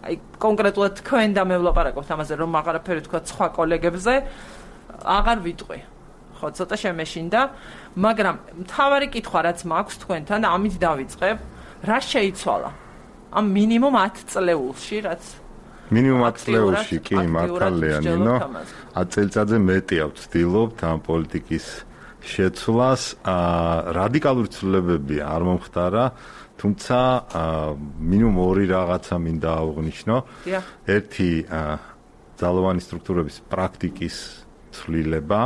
აი კონკრეტულად თქვენ და მე ვლაპარაკობთ ამაზე, რომ აღარაფერი თქვა სხვა კოლეგებზე, აღარ ვიტყვი. ხო, ცოტა შემეშინდა, მაგრამ მთავარი კითხვა რაც მაქვს თქვენთან და ამით დავიწყებ, რა შეიცვალა ამ მინიმუმ 10 წლეულში, რაც მინიმუმ 10 წლეულში კი მართალია ნინო 10 წელიწადზე მეტია ვცდილობთ ამ პოლიტიკის შეცვლას. რადიკალური ცვლილებები არ მომხდარა, თუმცა მინიმუმ ორი რაღაცა მინდა აღვნიშნო. ერთი ძალოვანი სტრუქტურების პრაქტიკის ცვლილება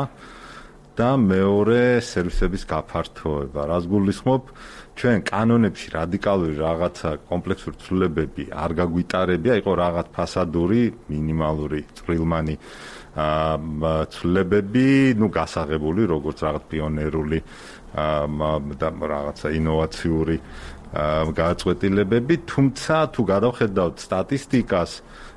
და მეორე სერვისების გაფართოება. რას გულისხმობ? ჩვენ კანონებში რადიკალური რაღაცა კომპლექსური ცვლილებები არ გაგვიტარებია, იყო რაღაც ფასადური, მინიმალური, წვრილმანი ცვლილებები, გასაღებული, როგორც რაღაც პიონერული და რაღაცა ინოვაციური გადაწყვეტილებები, თუმცა თუ გადავხედავთ სტატისტიკას,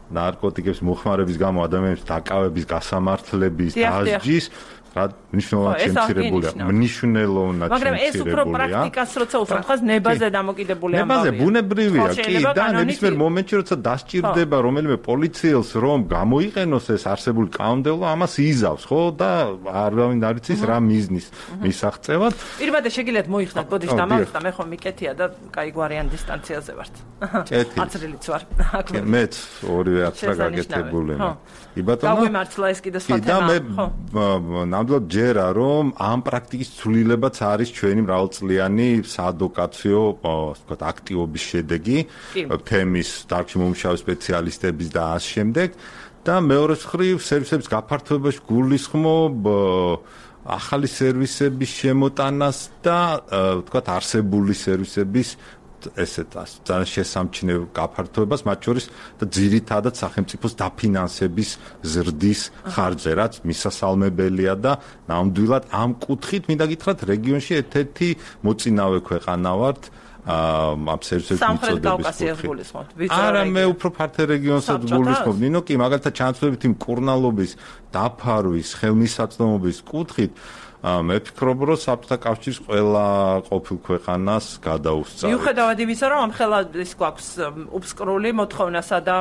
ნარკოტიკების მოხმარების გამო ადამიანების დაკავების, გასამართლების, დასჯის მნიშვნელოვნად შემცირებულია. მნიშვნელოვნად შემცირებულია. მაგრამ ეს უფრო პრაქტიკას როცა უსვამთ, ხას ნებაზე დამოკიდებული ამბავია. ნებაზე ბუნებრივია, კი, და ნებისმიერ მომენტში როცა დასჭირდება რომელიმე პოლიციელს რომ გამოიყენოს ეს არსებული კანონმდებლობა, ამას იზავს, ხო? და არავინ არ იცის რა მიზნის მისაღწევად. პირბადე შეგიძლიათ მოიხსნათ, ბოდიშ დამავიწყდა, მე ხომ მიკეთია და კაი გვარიან დისტანციაზე ვართ. აცრილიც ვარ. მეც ორივე აცრა გაკეთებული. კი ბატონო. გავიმართლა ეს კიდე სხვა თემა. და მე ნამდვილად ჯერა რომ ამ პრაქტიკის ცვლილებაც არის ჩვენი მრავალწლიანი საადვოკაციო ვთქვათ აქტივობის შედეგი თემის დარგში მომუშავე სპეციალისტების და ამ შემდეგ და მეორე მხრივ სერვისების გაფართოებაში გულისხმობ ახალი სერვისების შემოტანას და ვთქვათ არსებული სერვისების ესეთ ძალიან შესამჩნევ გაფართოებას მათ შორის და ძირითადად სახელმწიფოს დაფინანსების ზრდის ხარჯზე რაც მისასალმებელია და ნამდვილად ამ კუთხით მინდა გითხრათ რეგიონში ერთ-ერთი მოწინავე ქვეყანა ვართ ამ სერვისების მიწოდების არა მე უფრო ფართე რეგიონსაც გულისხმობ ნინო კი მაგალითად ჩანაცვლებით იმ კურნალობის დაფარვის ხელმისაწვდომობის კუთხით მე ვფიქრობ რომ საბჭოთა კავშირის ყველა ყოფილ ქვეყანას გადაუსწავთ. მიუხედავად იმისა რომ ამ ხელად ის გვაქვს უფსკრული მოთხოვნასა და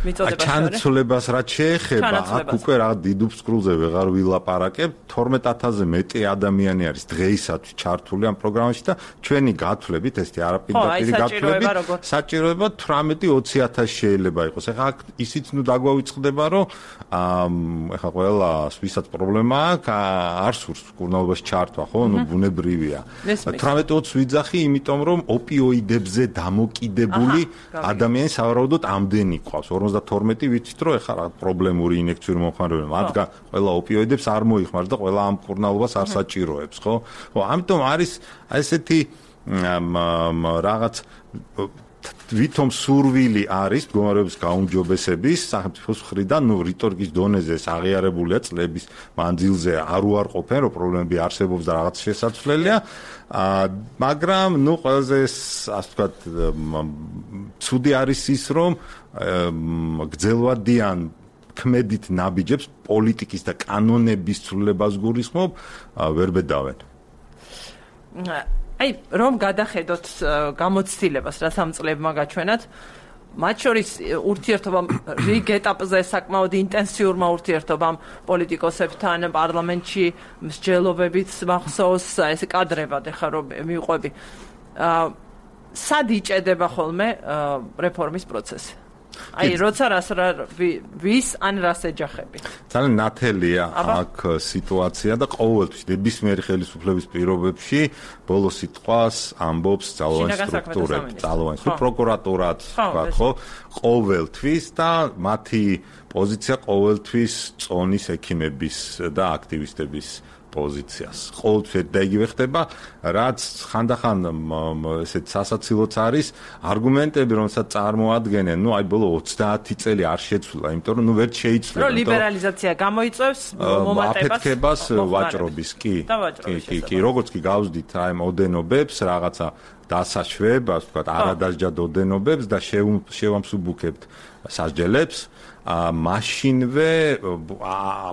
მიწოდებაში. ჩანაცვლებას რაც შეეხება, აქ უკვე რა დიდ უფსკრულზე ვეღარ ვილაპარაკებ, 12000-ზე მეტი ადამიანი არის დღეისათვის ჩართული ამ პროგრამაში და ჩვენი გათვლებით, ესეთი არაპირდაპირი გათვლებით, საჭიროება 18-20000 შეიძლება იყოს. ეხლა აქ ისიც ნუ დაგვავიწყდება, რომ ეხლა ყველა ვისაც პრობლემა აქვს, არ სურს კურნალობაში ჩართვა, ხო? ნუ ბუნებრივია. 18-20 ვიძახი, იმიტომ რომ ოპიოიდებზე დამოკიდებული ადამიანი სავარაუდოდ ამდენი ყავს. 52 ვიცით რომ ეხლა რა პრობლემური ინექციური მომხმარებელი მათგან ყველა ოპიოიდებს არ მოიხმარს და ყველა ამ კურნალობას არ საჭიროებს, ხო? ხო, ამიტომ არის ესეთი რაღაც ვითომ სურვილი არის მდგომარეობის გაუმჯობესების სახელმწიფოს მხრიდან, ნუ რიტორიკის დონეზე აღიარებულია წლების მანძილზე არ უარყოფენ, რომ პრობლემები არსებობს და რაღაც შესაძლებელია, მაგრამ ნუ ყველაზე ასე ვთქვათ ცუდი არის ის, რომ გძელვადიან ქმედით ნაბიჯებს პოლიტიკის და კანონების ცვლილებას გულისხმობ ვერ ბედავენ. აი, რომ გადახედოთ გამოცდილებას, რაც ამ წლებმა გაჩვენათ, მათ შორის ურთიერთობამ რიგ ეტაპზე საკმაოდ ინტენსიურმა ურთიერთობამ პოლიტიკოსებთან პარლამენტში მსჯელობებით მახსოვს ეს კადრებად ეხლა რომ მივყვები. სად იჭედება ხოლმე რეფორმის პროცესი? აი, როცა ვის ან რას ეჯახები? ძალიან ნათელია აქ სიტუაცია და ყოველთვის ნებისმიერი ხელისუფლების პირობებში ბოლო სიტყვას ამბობს ძალოვანი სტრუქტურები, ძალოვანი პროკურატურაც, ხო? ყოველთვის და მათი პოზიცია ყოველთვის წონის ექიმების და აქტივისტების პოზიციას. ყოველთვის და იგივე ხდება, რაც ხანდახან ესეთ სასაცილოც არის არგუმენტები, რომელსაც წარმოადგენენ, ნუ აი ბოლო 30 წელი არ შეცვლა, იმიტომ რომ ნუ ვერ შეიცვლა. რომ ლიბერალიზაცია გამოიწვევს მომატებას აფეთქებას ვაჭრობის, კი. კი, როგორც კი გავზდით აი ოდენობებს, რაღაცა დასაშვებას, ვთქვათ, არადასჯად ოდენობებს და შევამსუბუქებთ სასჯელებს. მაშინვე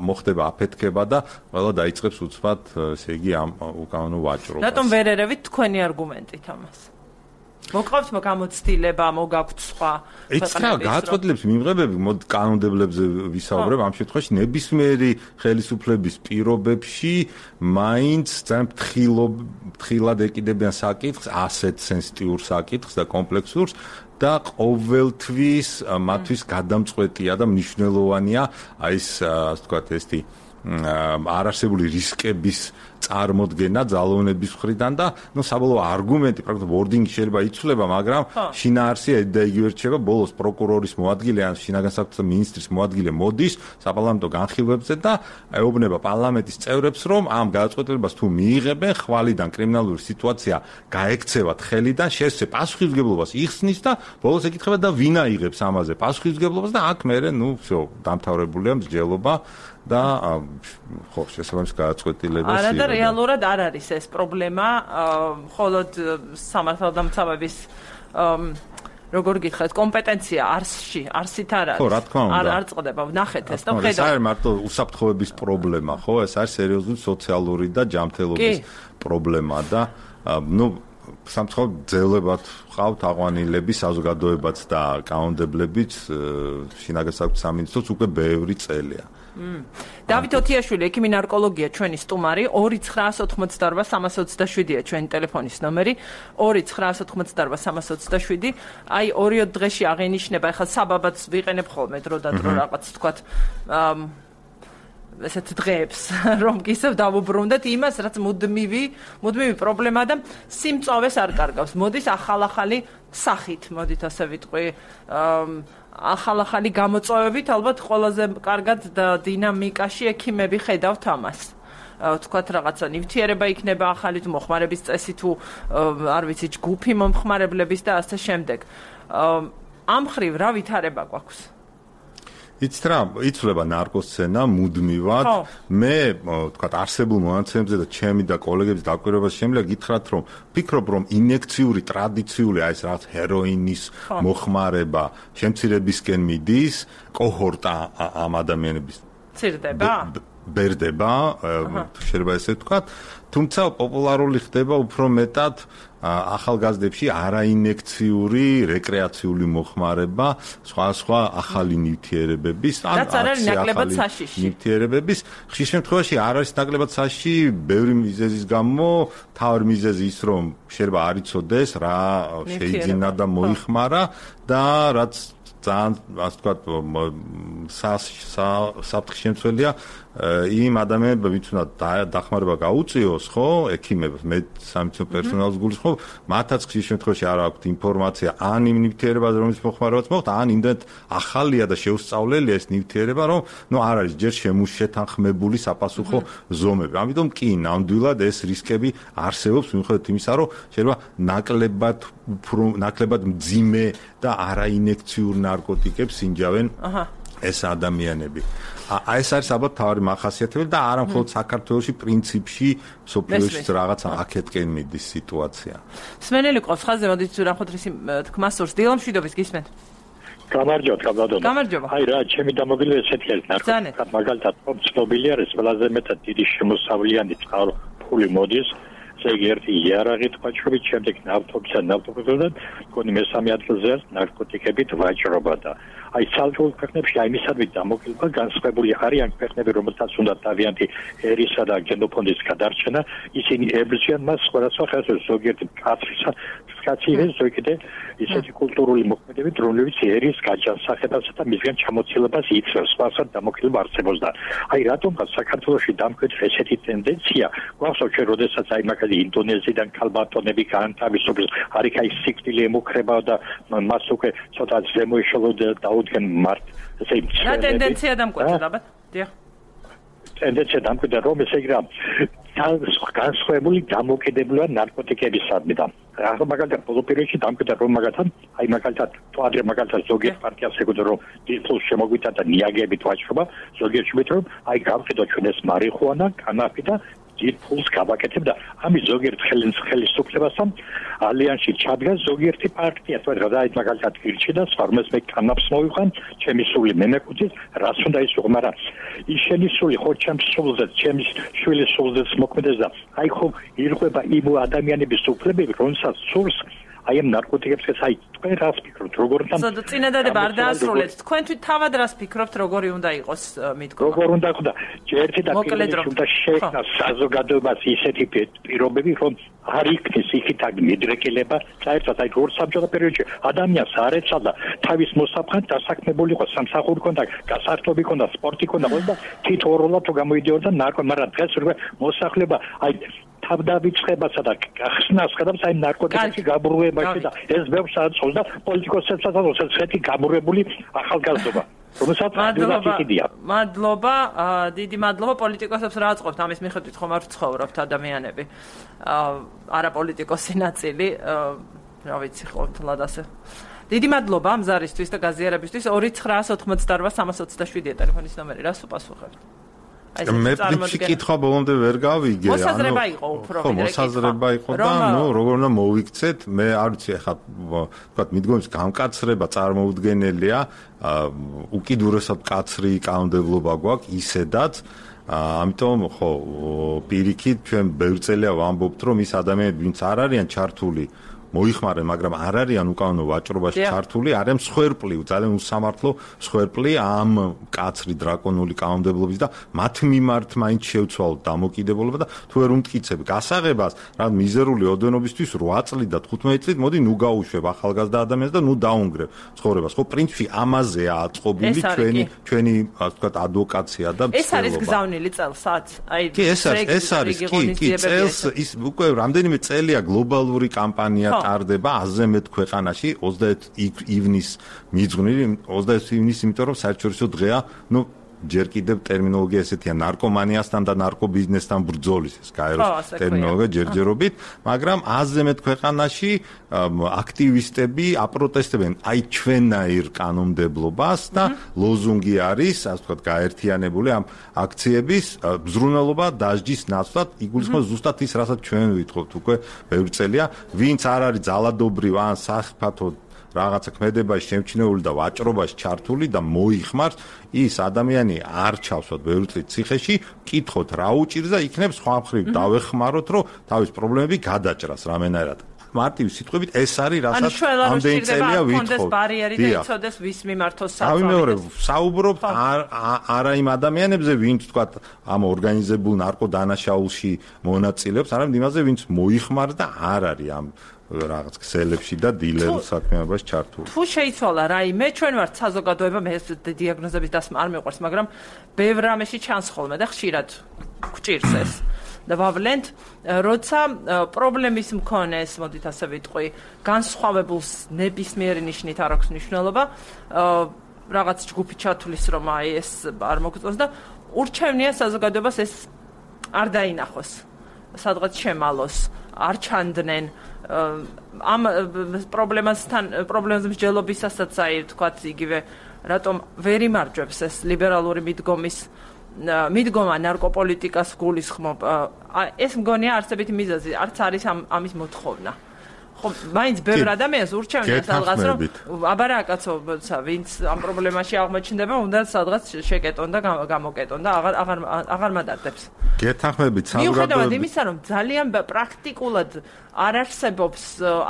მოხდება აფეთქება და ყველა დაიწყებს უცბად, ესე იგი ამ უკანონო ვაჭრობას. რატომ ვერ ერევით თქვენი არგუმენტით ამას? მოყავთ გამოცდილება, მოგაქვთ სხვა ქვეყნების გადაწყვეტილების მიმღებები, კანონმდებლებზე ვისაუბრებ, ამ შემთხვევაში ნებისმიერი ხელისუფლების პირობებში მაინც ძალიან ფრთხილად ეკიდებიან საკითხს, ასეთ სენსიტიურ საკითხს და კომპლექსურს და ყოველთვის მათთვის გადამწყვეტია და მნიშვნელოვანია აი ეს ასე ვთქვათ ესეთი არარსებული რისკების წარმოდგენა ძალოვნების მხრიდან და ნუ საბოლოო არგუმენტი პრაქტიკულად ვორდინგი შეიძლება იცვლება, მაგრამ შინაარსი და იგივე რჩება. ბოლოს პროკურორის მოადგილე ან შინაგან საქმეთა მინისტრის მოადგილე მოდის საპარლამენტო განხილვებზე და ეუბნება პარლამენტის წევრებს, რომ ამ გადაწყვეტილებას თუ მიიღებენ, ხვალიდან კრიმინალური სიტუაცია გაექცევათ ხელიდან, შესაძლოა პასუხისმგებლობას იხსნის და ბოლოს ეკითხება და ვინ აიღებს ამაზე პასუხისმგებლობას და აქ მერე ნუ всё დამთავრებულია მსჯელობა და ხო შესაბამის გადაწყვეტილებას არა და რეალურად არ არის ეს პრობლემა, მხოლოდ სამართალდამცავების როგორ გითხრათ, კომპეტენცია არსით არ არის. ხო, რა თქმა უნდა. არ წდება, ვნახეთ ეს და ხედავთ. ეს არის მარტო უსაფრთხოების პრობლემა, ხო? ეს არის სერიოზული სოციალური და ჯანმრთელობის პრობლემა და ნუ სამწუხაროდ ძელებად ყავთ აღვანილები, საზოგადოებაც და კანონმდებლებიც შინაგან საქმეთა სამინისტროს უკვე ბევრი წელია. დავით ოთიაშვილი, ექიმი ნარკოლოგია, ჩვენი სტუმარი, 2988327-ია ჩვენი ტელეფონის ნომერი, 2988327. აი 2 დღეში აღინიშნება, ახლა საბაბაც ვიყენებ ხოლმე დრო და დრო რაღაც თქვათ ესეთ დღეებს, რომ ისევ დავუბრუნდეთ იმას, რაც მუდმივი პრობლემა და სიმწოვეს არ კარგავს. მოდის ახალ-ახალი სახით, მოდით ასე ვიტყვი, ახალ-ახალი გამოწვევებით, ალბათ ყველაზე კარგად დინამიკაში ექიმები ხედავთ ამას. თქვათ რაღაცა ნივთიერება იქნება ახალი თუ მოხმარების წესი თუ არ ვიცი ჯგუფი მომხმარებლების და ასე შემდეგ. ამ ხრივ რა ვითარება გვაქვს? იცით რა, იცვლება ნარკოსცენა მუდმივად. მე თქვათ არსებულ მონაცემებზე და ჩემი და კოლეგების დაკვირვებას შემიძლია გითხრათ, რომ ფიქრობ, რომ ინიექციური ტრადიციული აი ეს რაღაც ჰეროინის მოხმარება შემცირებისკენ მიდის, კოჰორტა ამ ადამიანების ცირდება? ბერდება, შეიძლება ესე ვთქვათ, თუმცა პოპულარული ხდება უფრო მეტად ახალგაზრდებში არაინიექციური რეკრეაციული მოხმარება, სხვა ახალი ნივთიერებების, ან ნაკლებად საშიში ნივთიერებების. ხშირ შემთხვევაში არ არის ნაკლებად საშიში, ბევრი მიზეზის გამო, თავი მიზეზი ის, რომ შეიძლება არ იცოდეს რა შეიძინა და მოიხმარა და რაც ძალიან ასე ვთქვათ საფრთხის შემცველია იმ ადამიანებმა, ვინც უნდა დახმარება გაუწიოს, ხო, ექიმებს, სამედიცინო პერსონალს გულისხმობ, მათაც ხშირ შემთხვევაში არ აქვთ ინფორმაცია ან იმ ნივთიერებაზე, რომელიც მოხმარებაც მოხდა, ან იმდენად ახალია და შეუსწავლელია ეს ნივთიერება, რომ არ არის ჯერ შეთანხმებული საპასუხო ზომები. ამიტომ კი ნამდვილად ეს რისკები არსებობს, მიუხედავად იმისა, რომ შეიძლება ნაკლებად მძიმე და არაინიექციურ ნარკოტიკებს ინჯავენ ეს ადამიანები. ეს არის ალბათ თავი მახასიათებელი და არა მხოლოდ საქართველოში, პრინციპში სოფლიოში რაღაცა აქეთკენ მიდის სიტუაცია. სმენელი ყავს ხაზზე, მოდით რამხუთრისი თქმა სურს. დილამშვიდობის გისმენთ. გამარჯობა. აი რა, ჩემი დამოუკიდე ესეთი არის ნარკოტიკა, მაგალითად, ცნობილი არის ყველაზე მეტად დიდი შემოსავლიანი წყაროფული მოდის. ესე იგი ერთი იარაღით ვაჭრობით, შემდეგ ნავთობიდან, კონი მესამე ადგილზე არის ნარკოტიკებით ვაჭრობა და აი ცალკეულ ქვეყნებში აი მისადმი დამოკიდება განსხვავებული არიან ქვეყნები, რომელთაც უნდა თავიანთი ერისა და გენოფონდის გადარჩენა, ისინი ებრძვიან მას სხვადასხვა ხასიათის ზოგიერთი კაცის ზოგიერთი ისეთი კულტურული მოქმედებებით, რომლებიც ერის გაჯანსაღებასა და მისგან ჩამოცილებას იწევს, სხვაასხად დამოკიდება არსებობს და აი რატომღაც საქართველოში დამკვიდრდა ესეთი ტენდენცია, გვახსოვს ჩვენ როდესაც აი მაგალითად ინდონეზიიდან ქალბატონები განთავისუფლეს, არის აი სიკვდილი ემუქრება და მას უკვე ცოტა ზემოიშალო დაუდგენ მართ ესე რა ტენდენცია დამკვიდრდა ალბათ? დიახ. ტენდენცია დამკვიდრდა, რომ ესე იგი რა განსხვავებული დამოკიდებულა ნარკოტიკებისადმი და მაგალითად ბოლო პერიოდში დამკვიდრდა, რომ მაგალითად თვადრე მაგალითად ზოგიერთ პარტიას ეკუთვნა, რომ დიფულს შემოგვითა და ნიაგებით ვაჭრობა, ზოგიერთ შემოგვითა, რომ აი გამყიდო ჩვენ ეს მარიხუანა, კანაფი და დიფულს გავაკეთებ და ამის ზოგიერთ ხელისუფლებასთან ალიანსში ჩადგა ზოგიერთი პარტია, თორე რა მაგალითად გირჩი და სვარმეს მე კანაფს მოვიყან, ჩემი სული მე მეკუთვნის, რას უნდა ისუღო, მაგრამ ის შენი სული ხო ჩემს სულზე, ჩემი შვილის სულზე მოქმედებს და აი ხო ირღვება იმ ადამიანების უფლებები, რომელსაც სულს აი ამ ნარკოტიკებს აი თქვენ რას ფიქრობთ, როგორ უნდა წინადადება არ დაასრულეთ, თქვენ თავად რას ფიქრობთ, როგორი უნდა იყოს მითქმა? როგორ უნდა ხდა ერთი და პირველი უნდა შეექმნა საზოგადოებას ისეთი პირობები, რომ არ იქნეს იქითაგ მიდრეკილება, საერთოდ აი ორ საბჭოთა პერიოდში ადამიანს არ ეცადა თავის მოსაფრთხად დასაქმებული იყო, სამსახური ჰქონდა, გასართობი ჰქონდა, სპორტი ჰქონდა, და თითოეულად თუ გამოდიოდა მაგრამ დღეს უკვე მოსახლეობა აი თავდავიწყებასა და გახსნას ხდავს აი ნარკოტიკებში გაბრუებაში და ეს ბევრს აწევს და პოლიტიკოსებსაც აწევს ესეთი გაბრუებული ახალგაზრდობა. მადლობა, დიდი მადლობა პოლიტიკოსებს რა აწყობთ ამის მიხედვით ხომ არ ვცხოვრობთ ადამიანები. არაპოლიტიკოსი ნაწილი, რა ვიცი, ყოველთლად ასე. დიდი მადლობა ამ ზარისთვის და გაზიარებისთვის. 2988327 ტელეფონის ნომერი, რას უპასუხებთ? მე პრინციპი კითხვა ბოლომდე ვერ გავიგე. მოსაზრება იყო უფრო ვიდრე კითხვა. მოსაზრება იყო და როგორ უნდა მოვიქცეთ, მე არ ვიცი ახლა ვთქვათ მიდგომის გამკაცრება წარმოუდგენელია, უკიდურესად კაცრი კანონმდებლობა გვაქვს ისედაც, ამიტომ ხო პირიქით ჩვენ ბევრ წელია ვამბობთ, რომ ის ადამიანები ვინც არ არიან ჩართული მოიხმარენ, მაგრამ არ არიან უკანონო ვაჭრობაში ჩართული, არიან მსხვერპლი, ძალიან უსამართლო მსხვერპლი ამ კაცრი დრაკონული კანონმდებლობის და მათ მიმართ მაინც შევცვალოთ დამოკიდებულება და თუ ვერ უმტკიცებ გასაღებას, რა მიზერული ოდენობისთვის 8 წლით და 15 წლით მოდი ნუ გაუშვებ ახალგაზრდა ადამიანს და ნუ დაუნგრევ ცხოვრებას. ხო, პრინციპი ამაზეა აწყობილი ჩვენი ასე ვთქვათ ადვოკაცია და ეს არის გზავნილი წელსაც. აი ეს არის კი წელს ის უკვე რამდენიმე წელია გლობალური კამპანია ტარდება 100-ზე მეტ ქვეყანაში 21 ივნის მიძღვნილი 21 ივნის იმიტომ რომ საერთაშორისო დღეა ნუ ჯერ კიდევ ტერმინოლოგია ესეთია ნარკომანიასთან და ნარკობიზნესთან ბრძოლის ეს გაეროს ტერმინოლოგია ჯერჯერობით, მაგრამ 100-ზე მეტ ქვეყანაში აქტივისტები აპროტესტებენ აი ჩვენაირ კანონმდებლობას და ლოზუნგი არის, ასე ვთქვათ, გაერთიანებული ამ აქციების მზრუნველობა დასჯის ნაცვლად, იგულისხმება ზუსტად ის, რასაც ჩვენ ვითხოვთ უკვე ბევრი წელია, ვინც არ არის ძალადობრივ ან სახიფათო რაღაცა ქმედებაში შემჩნეული და ვაჭრობაში ჩართული და მოიხმარს, ის ადამიანი არ ჩავსვათ ბევრი წლით ციხეში, კითხოთ რა უჭირს და იქნებ სხვა მხრივ დავეხმაროთ, რომ თავის პრობლემები გადაჭრას რამენერად. მარტივი სიტყვებით ეს არის, რასაც ამდენი წელია ვითხოვთ. ბარიერი და იცოდეს ვის მიმართოს საქმე. თავი მეორე საუბრობთ არა იმ ადამიანებზე, ვინც თქვათ ამ ორგანიზებულ ნარკოდანაშაულში მონაწილეობს, არამედ იმაზე, ვინც მოიხმარს და არ არის ამ რაღაც ქსელებში და დილერულ საქმეებში ჩართული. თუ შეიცვალა რაიმე, ჩვენ ვართ საზოგადოება, მე დიაგნოზების დასმა არ მეყვარს, მაგრამ ბევრ რამეში ჩანს ხოლმე და ხშირად გვჭირს ეს. და ვავლენთ, როცა პრობლემის მქონეს, მოდით ასე ვიტყვი, განსხვავებულს ნებისმიერი ნიშნით არ აქვს მნიშვნელობა, რაღაც ჯგუფი ჩათulis რომ აი ეს არ მოგწონს და ურჩევნია საზოგადოებას ეს არ დაინახოს, სადღაც შემალოს, არ ჩანდნენ ამ პრობლემას მსჯელობისასაც აი თქვათ იგივე რატომ ვერ იმარჯვებს ეს ლიბერალური მიდგომა ნარკოპოლიტიკას გულისხმობ ეს მგონია არსებითი მიზეზი არც არის ამის მოთხოვნა ხო მაინც ბევრ ადამიანს ურჩევნია სადღაც რომ აბარა კაცო ვინც ამ პრობლემაში აღმოჩნდება უნდა სადღაც შეკეტონ და გამოკეტონ და აღარ მადარდებს გეთანხმებით მიუხედავად იმისა რომ ძალიან პრაქტიკულად არ არსებობს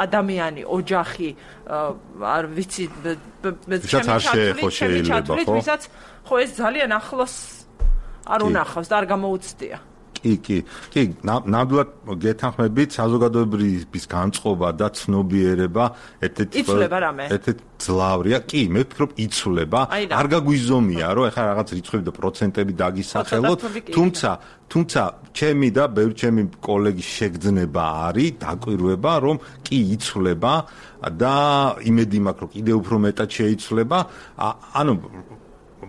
ადამიანი ოჯახი არ ვიცი ვისაც ხო ეს ძალიან ახლოს არ უნახავს და არ გამოუცდია კი, ნამდვილად გეთანხმებით, საზოგადოების განწყობა და ცნობიერება ერთ-ერთი ძლავრია. კი, მე ვფიქრობ, იცვლება. არ გაგვიზომია, რომ ეხლა რაღაც რიცხვები და პროცენტები დაგისახელოთ, თუმცა ჩემი და ბევრი ჩემი კოლეგის შეგრძნება არის, დაკვირვება, რომ კი იცვლება და იმედი მაქვს, რომ კიდევ უფრო მეტად შეიცვლება. ანუ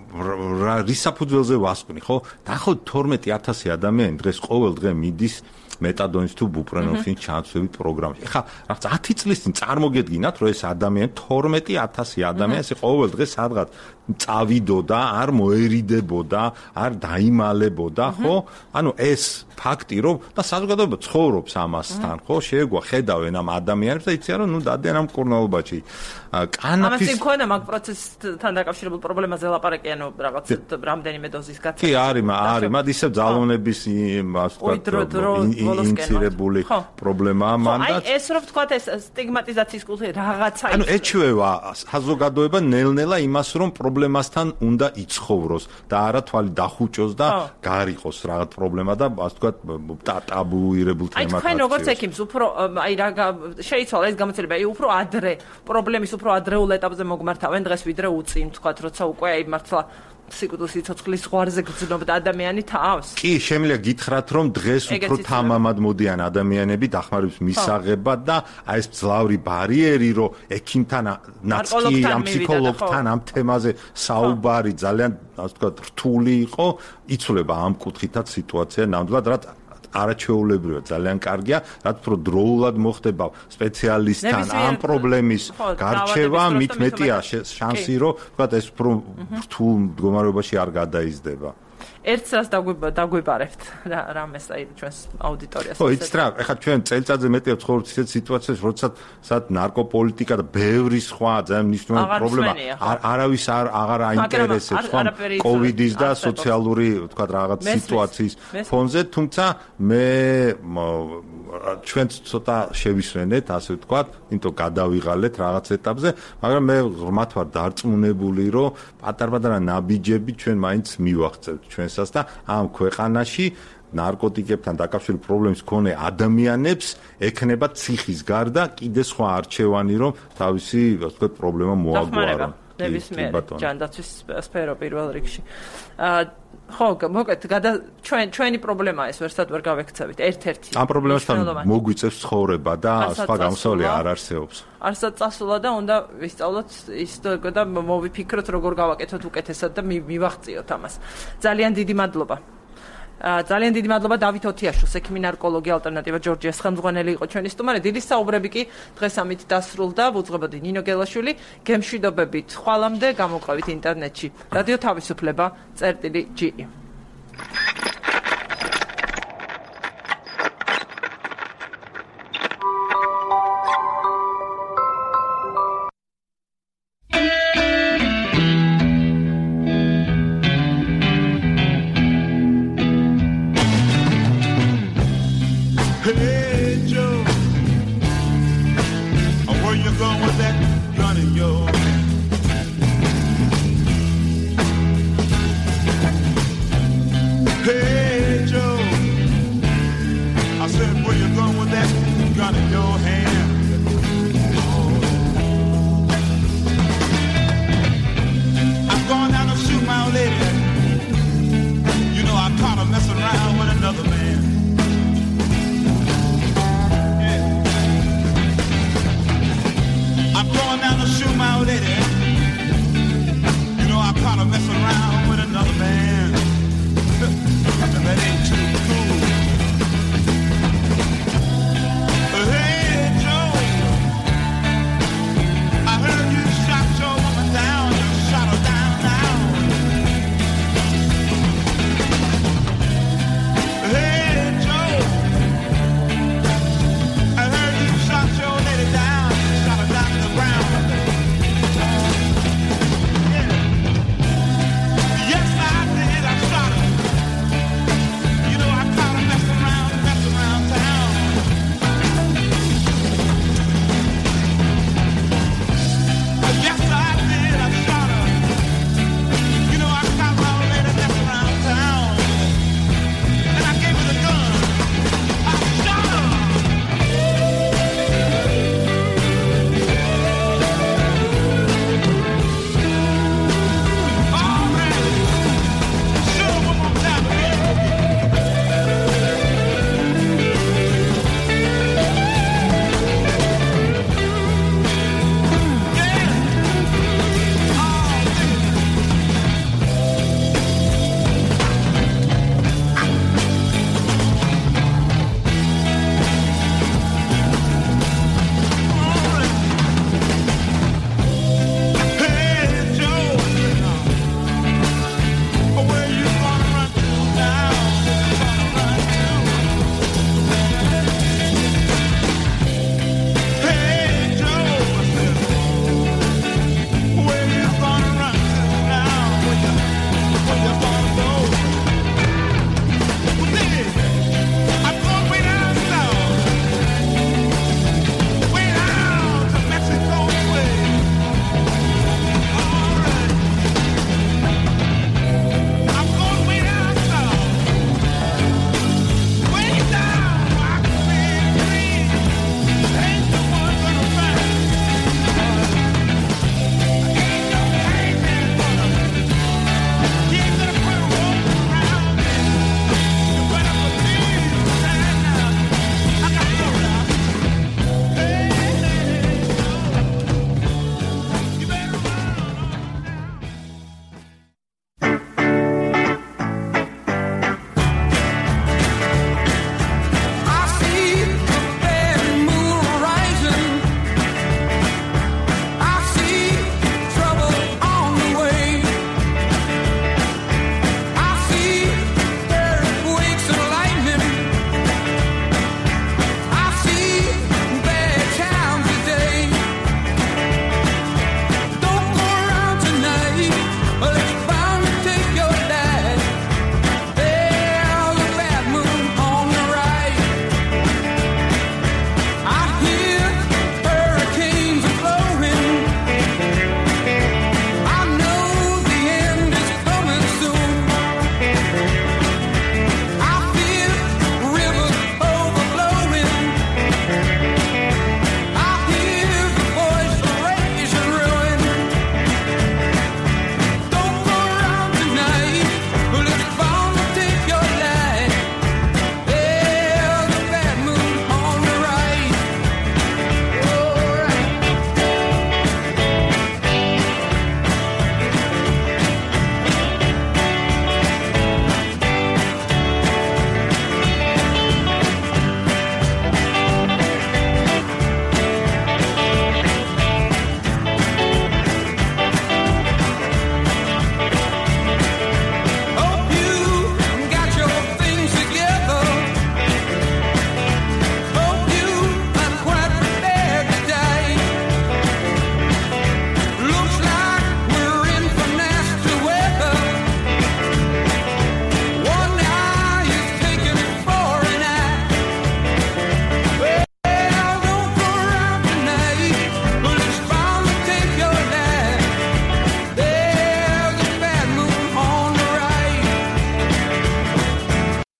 რის საფუძველზე ვასკვნი, ხო? დაახლოებით 12000 ადამიანი დღეს ყოველ დღე მიდის მეტადონის თუ ბუპრენოფსის ჩანაცვლების პროგრამაში. ეხლა რაღაც 10 წლის წინ წარმოგედგინათ, რომ ეს ადამიანი 12000 ადამიანი ეს ყოველ დღე სადღაც წავიდოდა, არ მოერიდებოდა, არ დაიმალებოდა, ხო? ანუ ეს ფაქტი, რომ და საზოგადოება ცხოვრობს ამასთან, ხო? შეეგვა ხედავენ ამ ადამიანებს და იციან, რომ ნუ დადიან ამ კურნალობაში. კანაფის ამას იქონა მაგ პროცესთან დაკავშირებულ პრობლემაზე ლაპარაკი, ანუ რაღაც რამდენიმე დოზის გაცემა. კი, არის, მათ ისევ ძალოვნების ინცირებული პრობლემაა მანდ. აი ეს რო ვთქვათ, ეს სტიგმატიზაციის კულტურა რაღაცა ანუ ეჩვევა საზოგადოება ნელ-ნელა იმას, რომ პრობლემასთან უნდა იცხოვროს და არა თვალი დახუჭოს და გარიყოს რაღაც პრობლემა და ასე ვთქვათ ტაბუირებულ თემად. აი თქვენ როგორც ექიმს უფრო აი რა შეიცვალა ეს გამოცდილება, აი უფრო ადრე პრობლემის უფრო ადრეულ ეტაპზე მოგმართავენ დღეს ვიდრე უწინ თქვათ, როცა უკვე აი მართლა სიკვდილის სიცოცხლის ზღვარზე გრძნობდა ადამიანი თავს. კი, შემიძლია გითხრათ, რომ დღეს უფრო თამამად მოდიან ადამიანები დახმარების მისაღებად და აი ეს ძლავრი ბარიერი, რომ ექიმთან, ნაცკი, ამ ფსიქოლოგთან ამ თემაზე საუბარი ძალიან, ასე ვთქვათ, რთული იყო, იცვლება ამ კუთხითაც სიტუაცია ნამდვილად, რაც არაჩვეულებრივია, ძალიან კარგია, რაც უფრო დროულად მოხდება სპეციალისტთან ამ პრობლემის გარჩევა, მით მეტია შანსი, რომ ვთქვათ, ეს უფრო რთულ მდგომარეობაში არ გადაიზრდება. ერთს რას დაგვიბარებთ რამეს აი ჩვენს აუდიტორიას. ხო, იცით რა, ეხლა ჩვენ წელიწადზე მეტია ცხოვრობთ ისეთ სიტუაციებში, როდესაც ნარკოპოლიტიკა და ბევრი სხვა ძალიან მნიშვნელოვანი პრობლემა არავის აღარ აინტერესებს, ხო, კოვიდის და სოციალური, თქვა რაღაც სიტუაციის ფონზე, თუმცა მე ჩვენც ცოტა შევისვენეთ, ასე ვთქვათ, იმიტომ გადავიღალეთ რაღაც ეტაპზე, მაგრამ მე ღრმად ვარ დარწმუნებული, რომ პატარ-პატარა ნაბიჯები ჩვენ მაინც მივახცევთ ჩვენსას და ამ ქვეყანაში ნარკოტიკებთან დაკავშირებული პრობლემის მქონე ადამიანებს ექნება ციხის გარდა კიდე სხვა არჩევანი, რომ თავისი, ასე ვთქვათ, პრობლემა მოაგვარონ. ნებისმიერ ჯანდაცვის სფერო პირველ რიგში. ხო, მოკეთ, ჩვენი პრობლემაა ეს, ვერსად ვერ გავექცევით. ერთ-ერთი. ამ პრობლემასთან მოგვიწევს ცხოვრება და სხვა გამოსავალი არ არსებობს. არსად წასულა და უნდა ვისწავლოთ ის და მოვიფიქროთ, როგორ გავაკეთოთ უკეთესად და მივახციოთ ამას. ძალიან დიდი მადლობა. ძალიან დიდი მადლობა დავით ოთიაშვილს, ექიმი ნარკოლოგი ალტერნატივა ჯორჯიას ხელმძღვანელი იყო ჩვენი სტუმარი. დიდი საუბრები კი დღეს ამით დასრულდა. ვუძღებოდი ნინო გელაშვილი, გემშვიდობებით ხვალამდე, გამოყევით ინტერნეტში. რადიო თავისუფლება წერტილი G.